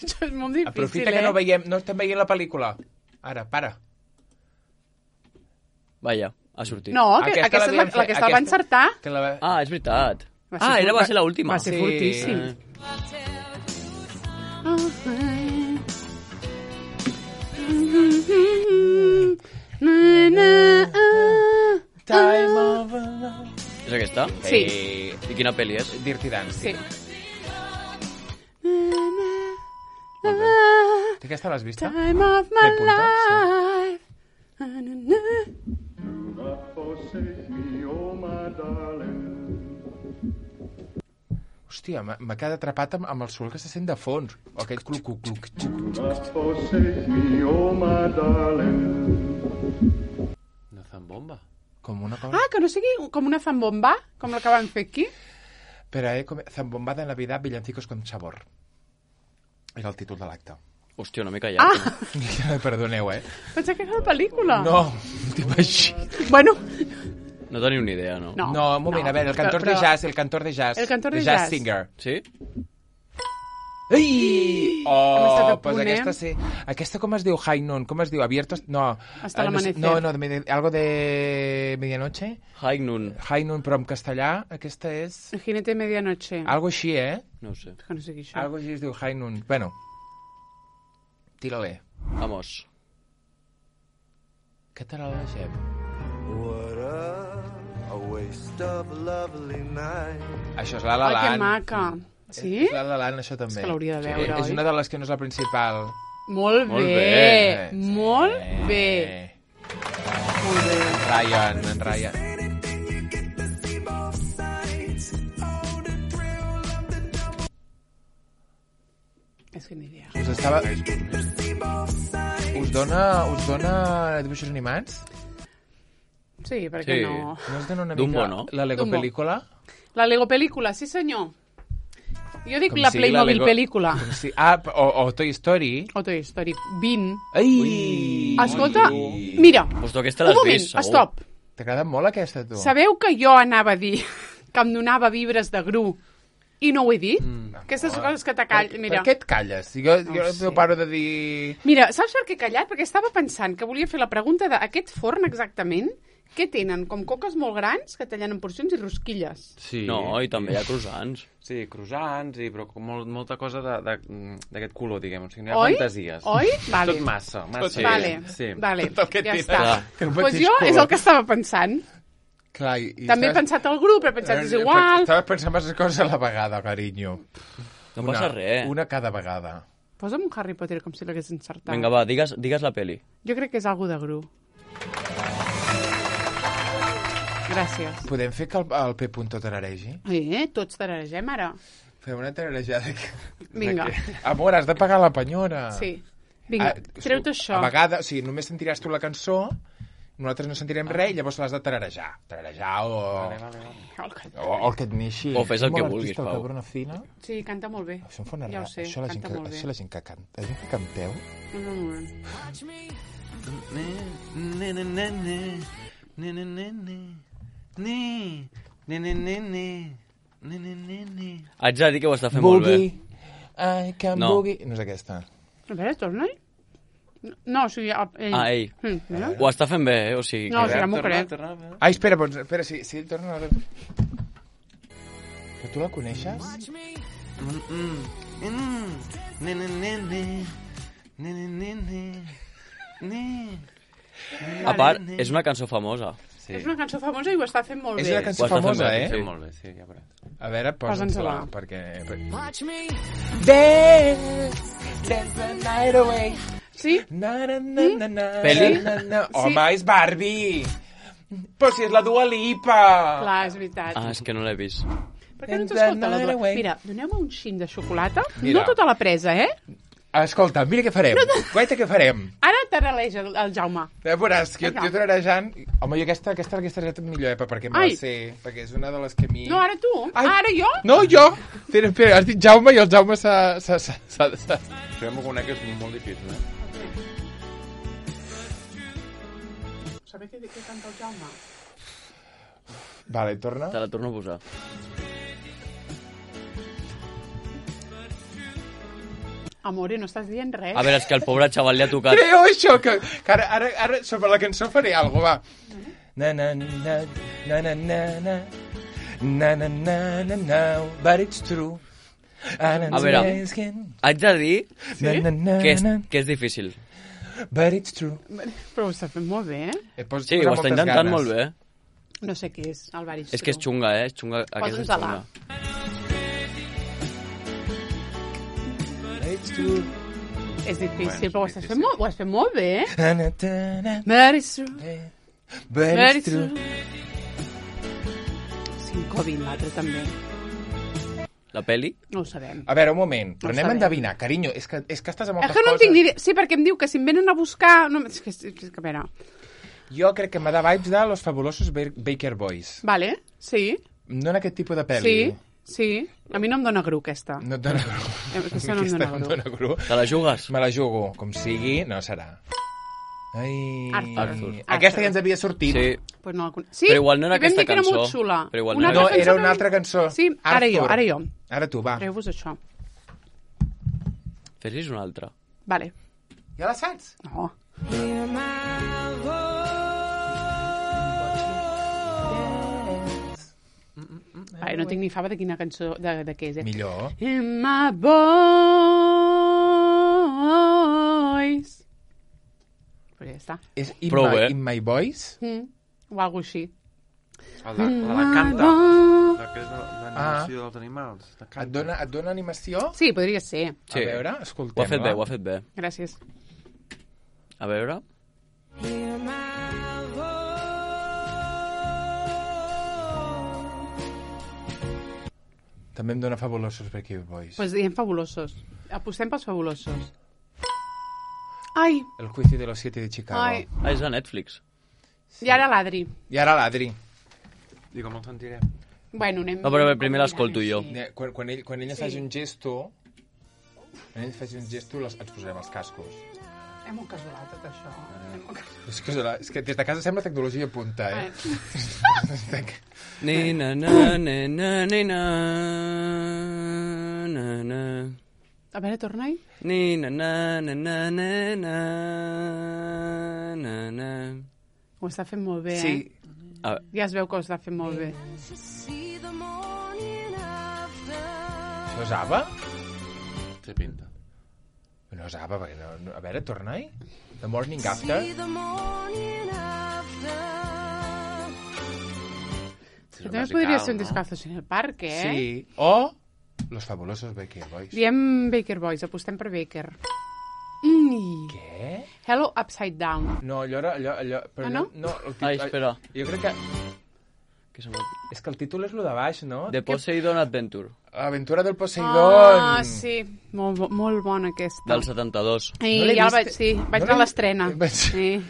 Això és molt difícil, Aprofita eh? que no veiem, no estem veient la pel·lícula. Ara, para. Vaja, ha sortit. No, que, Aquesta aquesta, és l'havíem la, la fet, que estava aquesta- encertar. Que la... Ah, és veritat. Va ser Ah, era, fort- va ser l'última. Va ser Sí. fortíssim. aquesta? Sí. Eh, I quina pel·li és? Dirty Dancing. Sí. Tu aquesta l'has vista? Time of my Té punta, sí. life. Na, na, na. Hòstia, m'ha m'ha quedat atrapat amb, amb el sol que se sent de fons. O aquell cluc, cluc, cluc, cluc. Una zambomba. Com una cosa... Ah, que no sigui com una zambomba, com la que van fer aquí. Però eh, com... Zambomba de Navidad, villancicos con sabor. Era el títol de l'acte. Hòstia, una mica llarg. Ah, Perdoneu, eh? pensava que era la pel·lícula. No, tipo així. Bueno, No teniu ni idea, no? No. No, un moment, no, a veure, el cantor però- de jazz, el cantor de jazz. El cantor de The jazz. singer. Sí? Ai! Hem estat Oh, a pues punt, aquesta eh? sí. Aquesta com es diu? High Noon, com es diu? Abiertos? No. Hasta Eh, no, sé- l'amanecer. No, no, de, medi- algo de medianoche. High Noon. High Noon, però en castellà, aquesta és... El jinete de medianoche. Algo així, eh? No ho sé. Que no sé què això. Algo així es diu High Noon. Bueno, tira-le. Vamos. Què te la deixem? What a, a waste of a lovely night. Això és la La Ai, que Land. maca. Sí? És la La Land, això també. És que l'hauria de veure, És oi? una de les que no és la principal. Molt, Molt bé. bé. Molt bé. Molt bé. En Ryan, en Ryan. És que ni idea. Us estava... Us dona, us dona dibuixos animats? Sí, perquè Sí. no... No us dona una Dumbo, mica no? la Lego Dumbo. pel·lícula? La Lego pel·lícula, sí senyor. Jo dic Com la sigui Playmobil Lego- pel·lícula. Com si... Ah, o, o Toy Story. O Toy Story vint. Ai! Escolta, mira, Pues tu aquesta un l'has moment, vist, segur. stop. T'agrada molt aquesta, tu? Sabeu que jo anava a dir que em donava vibres de Gru i no ho he dit? Mm, Aquestes coses que te call... Per, Mira, per què et calles? Jo, jo No no sé. paro de dir... mira, saps per què he callat? Perquè estava pensant que volia fer la pregunta d'aquest forn exactament, què tenen? Com coques molt grans que tallen en porcions i rosquilles. Sí. No, i també hi ha croissants. Sí, croissants, i, però com molt, molta cosa de- de- d'aquest color, diguem. O sigui, no hi ha Oi? fantasies. Oi? Vale. Tot massa, massa. Sí. Vale, Sí. vale, Tot el que ja tira. està. Clar. Que no Pues pateix jo és color. el que estava pensant. Clar, i, i També he estàs- pensat al grup, he pensat és Eh, igual. Estava pensant massa coses a la vegada, carinyo. No una, passa res. Una cada vegada. Posa'm un Harry Potter com si l'hagués encertat. Vinga, va, digues, digues la peli. Jo crec que és algú de Gru. Gràcies. Podem fer que el, el P. Punto tararegi? Eh, tots tararegem ara. Fem una tararejada. Que... Vinga. de Que... Amor, has de pagar la penyora. Sí. Vinga, Ah, treu-te això. A vegades, o sigui, només sentiràs tu la cançó, nosaltres no sentirem res, i llavors l'has de tararejar. Tararejar o... Vale, vale, vale. O, o el que et neixi. O fes el Som que molt vulguis, artista, el Pau. Cabrona Fina. Sí, canta molt bé. Això em fa una Ja ho rara. sé, això, la gent canta que, molt bé. això la gent que canta. La gent que canteu... Un moment. Haig de dir que ho està fent molt bé. I can No. boogie... No és aquesta. A veure, torna-hi. No, o sigui, el- ell. Ah, ell. Mm, mira. Ho està fent bé, eh? O sigui, No, que... sí, ja m'ho crec. Ai, espera, doncs, espera, si, si ell torna... A... Però tu la coneixes? A part, és una cançó famosa. Sí. És una cançó famosa i ho està fent molt És bé. una Ho cançó està fent famosa, bé, eh? Sí, molt bé, sí, ja veuràs. A veure, Posa'ns-la. posa'ns-la, perquè... Dance, dance the night away. Sí? Na, na, na, na, na, Peli? na, na. Home, és Barbie! Però si és la Dua Lipa! Clar, és veritat. Ah, és que no l'he vist. Per què no And t'escolta the la night Dua? away. Mira, doneu-me un xin de xocolata. Mira. No tota la presa, eh? Escolta, mira què farem. Guaita què farem. Ara taraleja el, el Jaume. Ja veuràs, que jo, Vinga. jo tararejant... Home, jo aquesta, aquesta, aquesta és millor, eh, perquè me Ai. la sé, perquè és una de les que a mi... No, ara tu. Ai. Ara jo? No, jo! Espera, espera, has dit Jaume i el Jaume s'ha... s'ha- s'ha- s'ha- s'ha- Això ja m'ho conec, és molt difícil, eh? Sabeu què, què canta el Jaume? Vale, torna. Te la torno a posar. Amore, no estàs dient res. A veure, és que el pobre xaval li ha tocat... Creo això, que, que ara, ara, ara sobre la cançó faré alguna cosa, va. Na, na, na, na, na, na, na, na, na, na, na, na, but it's true. And A veure, it's asking, haig de dir na, na, na, que és, na, que és difícil. but it's true. Però ho està fent molt bé, eh? Eh, pos, Sí, posa ho està moltes intentant ganes. molt bé. No sé què és, el Baristro. És que és xunga, eh? És xunga. Aquesta és Posa'ns-la. xunga. És difícil, Bueno, però ho és estàs difícil. fent molt, ho has fet molt bé, eh? Tana, tana, Baristro. Baristro. cinco vint, l'altre també. La peli? No ho sabem. A veure, un moment, però No anem a sabem. endevinar, carinyo, és que, és que estàs a moltes És que no en coses. tinc ni idea. Sí, perquè em diu que si em venen a buscar... No, és que, és que, a veure... Jo crec que m'ha de vibes de Los Fabulosos Ba- Baker Boys. Vale, sí, No en aquest tipus de pel·li. sí, sí. A mi no em dona gru, aquesta. No et dona gru. Aquesta no em Aquesta dona no em gru. dona gru. Te la jugues? Me la jugo. Com sigui, no serà. Ai... Arthur. Arthur. Aquesta ja ens havia sortit. Sí. Pues no la con... Sí, Però igual no era i vam aquesta dir que era cançó. molt xula. Però igual Una no No, altra era cançó una que- altra cançó. Sí, ara jo, Arthur. ara jo. Ara tu, va. Treu-vos això. Fes-lis una altra. Vale. Ja la saps? No. Vale, no tinc ni fava de quina cançó, de, de què és, eh? Millor. In my voice. Però ja està. És In, Prou my, bé. in my Voice? Mm. O alguna així. El de, la de Canta, la que és de l'animació dels animals. De Canta. Et dona, et dona animació? Sí, podria ser. Sí. A veure, Ho ha escoltem-la. fet bé, ho ha fet bé. Gràcies. A veure... També em dona Fabulosos Baker Boys. Doncs pues diem fabulosos. Apostem pels fabulosos. Ai, El juicio de los siete de Chicago. ai. Ah, és de Netflix. I ara l'Adri. I ara l'Adri. I com el sentirem? Bueno, anem... No, però bé, primer l'escolto jo. Sí. Eh, Quan, quan ell, quan ell ens Sí. faci un gesto... Quan ell faci un gesto, les, ens posarem els cascos. És molt casual, tot això. És molt casual. És que, és que des de casa sembla tecnologia punta, eh? Ni na na na na ni na na na A veure, torna-hi. ni na na na na na na na na. Ho està fent molt bé, Sí. eh? A, Ja es veu que ho està fent molt bé. Això és ABBA? Té pinta. No és ABBA, perquè no, no... A veure, torna-hi. The Morning After. Però també podria ser un descalzos en el parc, eh? Sí. O Los Fabulosos Baker Boys. Diem Baker Boys, apostem per Baker. Mm. Què? Hello Upside Down. No, allò era... Allò, allò, però Ah, allò, no? no el títol, Ai, espera. Jo crec que... que se m'ha- És que el títol és lo de baix, no? The Poseidon Adventure, L'aventura del Poseidon. Ah, sí. Molt, bo- molt bona aquesta. del setanta-dos. I No l'he ja la vist. vaig, sí, vaig No anar a l'he- l'estrena. Vaig- Sí.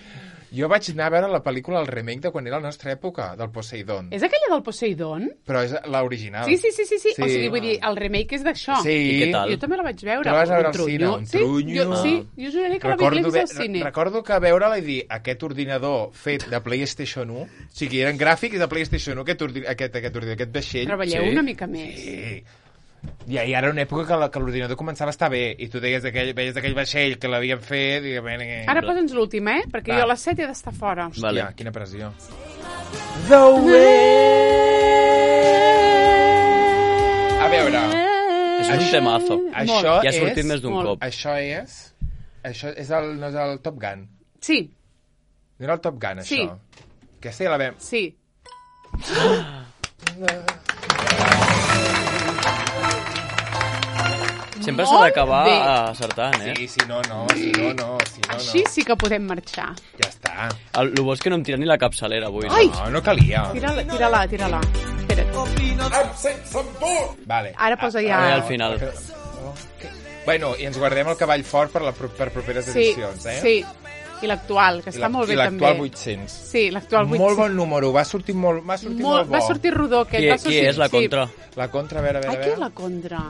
Jo vaig anar a veure la pel·lícula, el remake de quan era la nostra època, del Poseidon. És aquella del Poseidon? Però és l'original. Sí, sí, sí, sí, sí. Sí. O sigui, vull dir, el remake és d'això. Sí. I què tal? Jo també la vaig veure. Tu la vas veure Un al cine, trunyo. un sí, trunyo. Jo, sí, jo juraré que la Recordo, vaig ve, al cine. recordo que veure-la i dir aquest ordinador fet de PlayStation u, o sigui, eren gràfics de PlayStation u, aquest, ordi, aquest, aquest, ordinador, aquest vaixell. Treballeu Sí. una mica més. Sí. I ahir era una època que la- que l'ordinador començava a estar bé i tu deies aquell, veies aquell vaixell que l'havien fet i... Bueno, Ara posa'ns l'última, eh? Perquè Va. jo a les set he d'estar fora. Hòstia, Vale. quina pressió. The way... A veure, És un temazo. això Ja ha és... sortit més d'un molt. cop. Això és... Això és el, no és el Top Gun. Sí, No era el Top Gun, això. Sí. Aquesta ja la vam... sí. Sempre s'ha Molt d'acabar bé. acertant, eh? Sí, si no, no, si no, no, si no, no. Així sí que podem marxar. Ja està. El, el bo és que no em tira ni la capçalera avui. Ai! No? No, no calia. Tira-la, tira-la, tira-la. Espera't. Vale. Ara posa ja... Ara al final. Bueno, i ens guardem el cavall fort per, la, pro- per properes Sí, edicions, eh? sí. I l'actual, que I està la- molt bé I també. l'actual vuit-cents. Sí, l'actual vuit-cents. Molt bon número, va sortir molt, va sortir molt, Molt, bo. va sortir rodó aquest. Qui, va qui sortir, és la sí. contra? La contra, a veure, a Ai, veure. qui a és la veure. contra?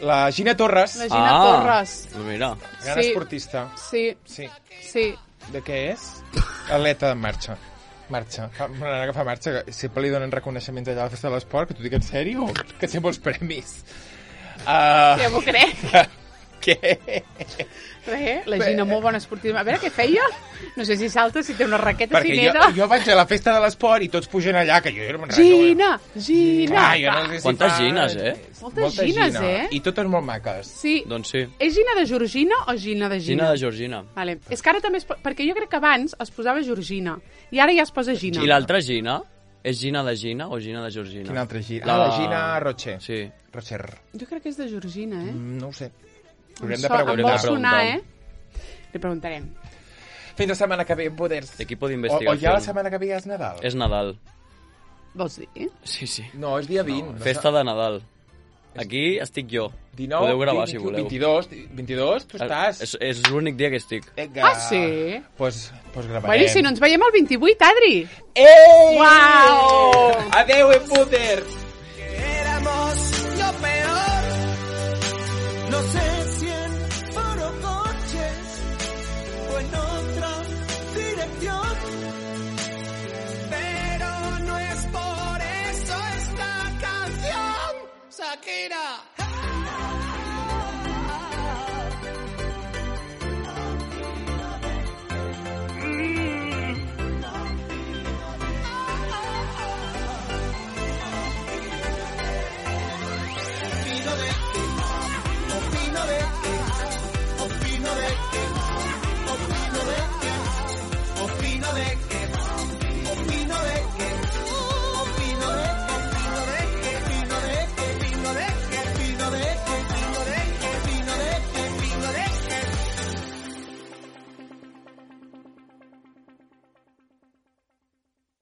La Gina Torres, La Gina Ah. Torres. Mira. gran Sí. esportista. Sí, Sí. sí. De què és? Atleta de marxa. Marxa. Fa, una nena que fa marxa, que sempre li donen reconeixements allà a la festa de l'esport, que tu dic en sèrio, que té molts premis. Uh, Ja m'ho crec. què? Res, la Gina, molt bona esportiva. A veure què feia. No sé si salta, si té una raqueta, Perquè si jo, neda. jo vaig a la festa de l'esport i tots pugen allà, que jo era un Gina, Gina. Ah, jo no sé si Quantes fa- gines, eh? Moltes Molta gines, gina. eh? I totes molt maques. Sí. Doncs sí. És Gina de Georgina o Gina de Gina? Gina de Georgina. Vale. És que ara també es po... Perquè jo crec que abans es posava Georgina i ara ja es posa Gina. I l'altra Gina? És Gina de Gina o Gina de Georgina? Quina altra Gina? La- Ah, la Gina Rocher. Sí. Rocher. Jo crec que és de Georgina, eh? Mm, no ho sé. Em Haurem de so- Em preguntar. vol de sonar, preguntar. eh? Li preguntarem. Fins la setmana que ve, poders. Equipo O, d'investigació. o ja la setmana que ve ja és Nadal? És Nadal. Vols dir? Sí, sí. No, és dia vint. No, Festa de Nadal. Aquí estic jo. dinou, Podeu gravar, vint, si voleu. vint-i-dos, vint-i-dos, tu estàs. És, és l'únic dia que estic. Vinga. Ah, sí? Pues, pues gravarem. Bueno, i si no ens veiem el vint-i-vuit, Adri? Ei! Uau! Adeu, Embuter! Éramos lo peor. No sé si en forocoches o en otra dirección. Pero no es por eso esta canción, Shakira. Opino de que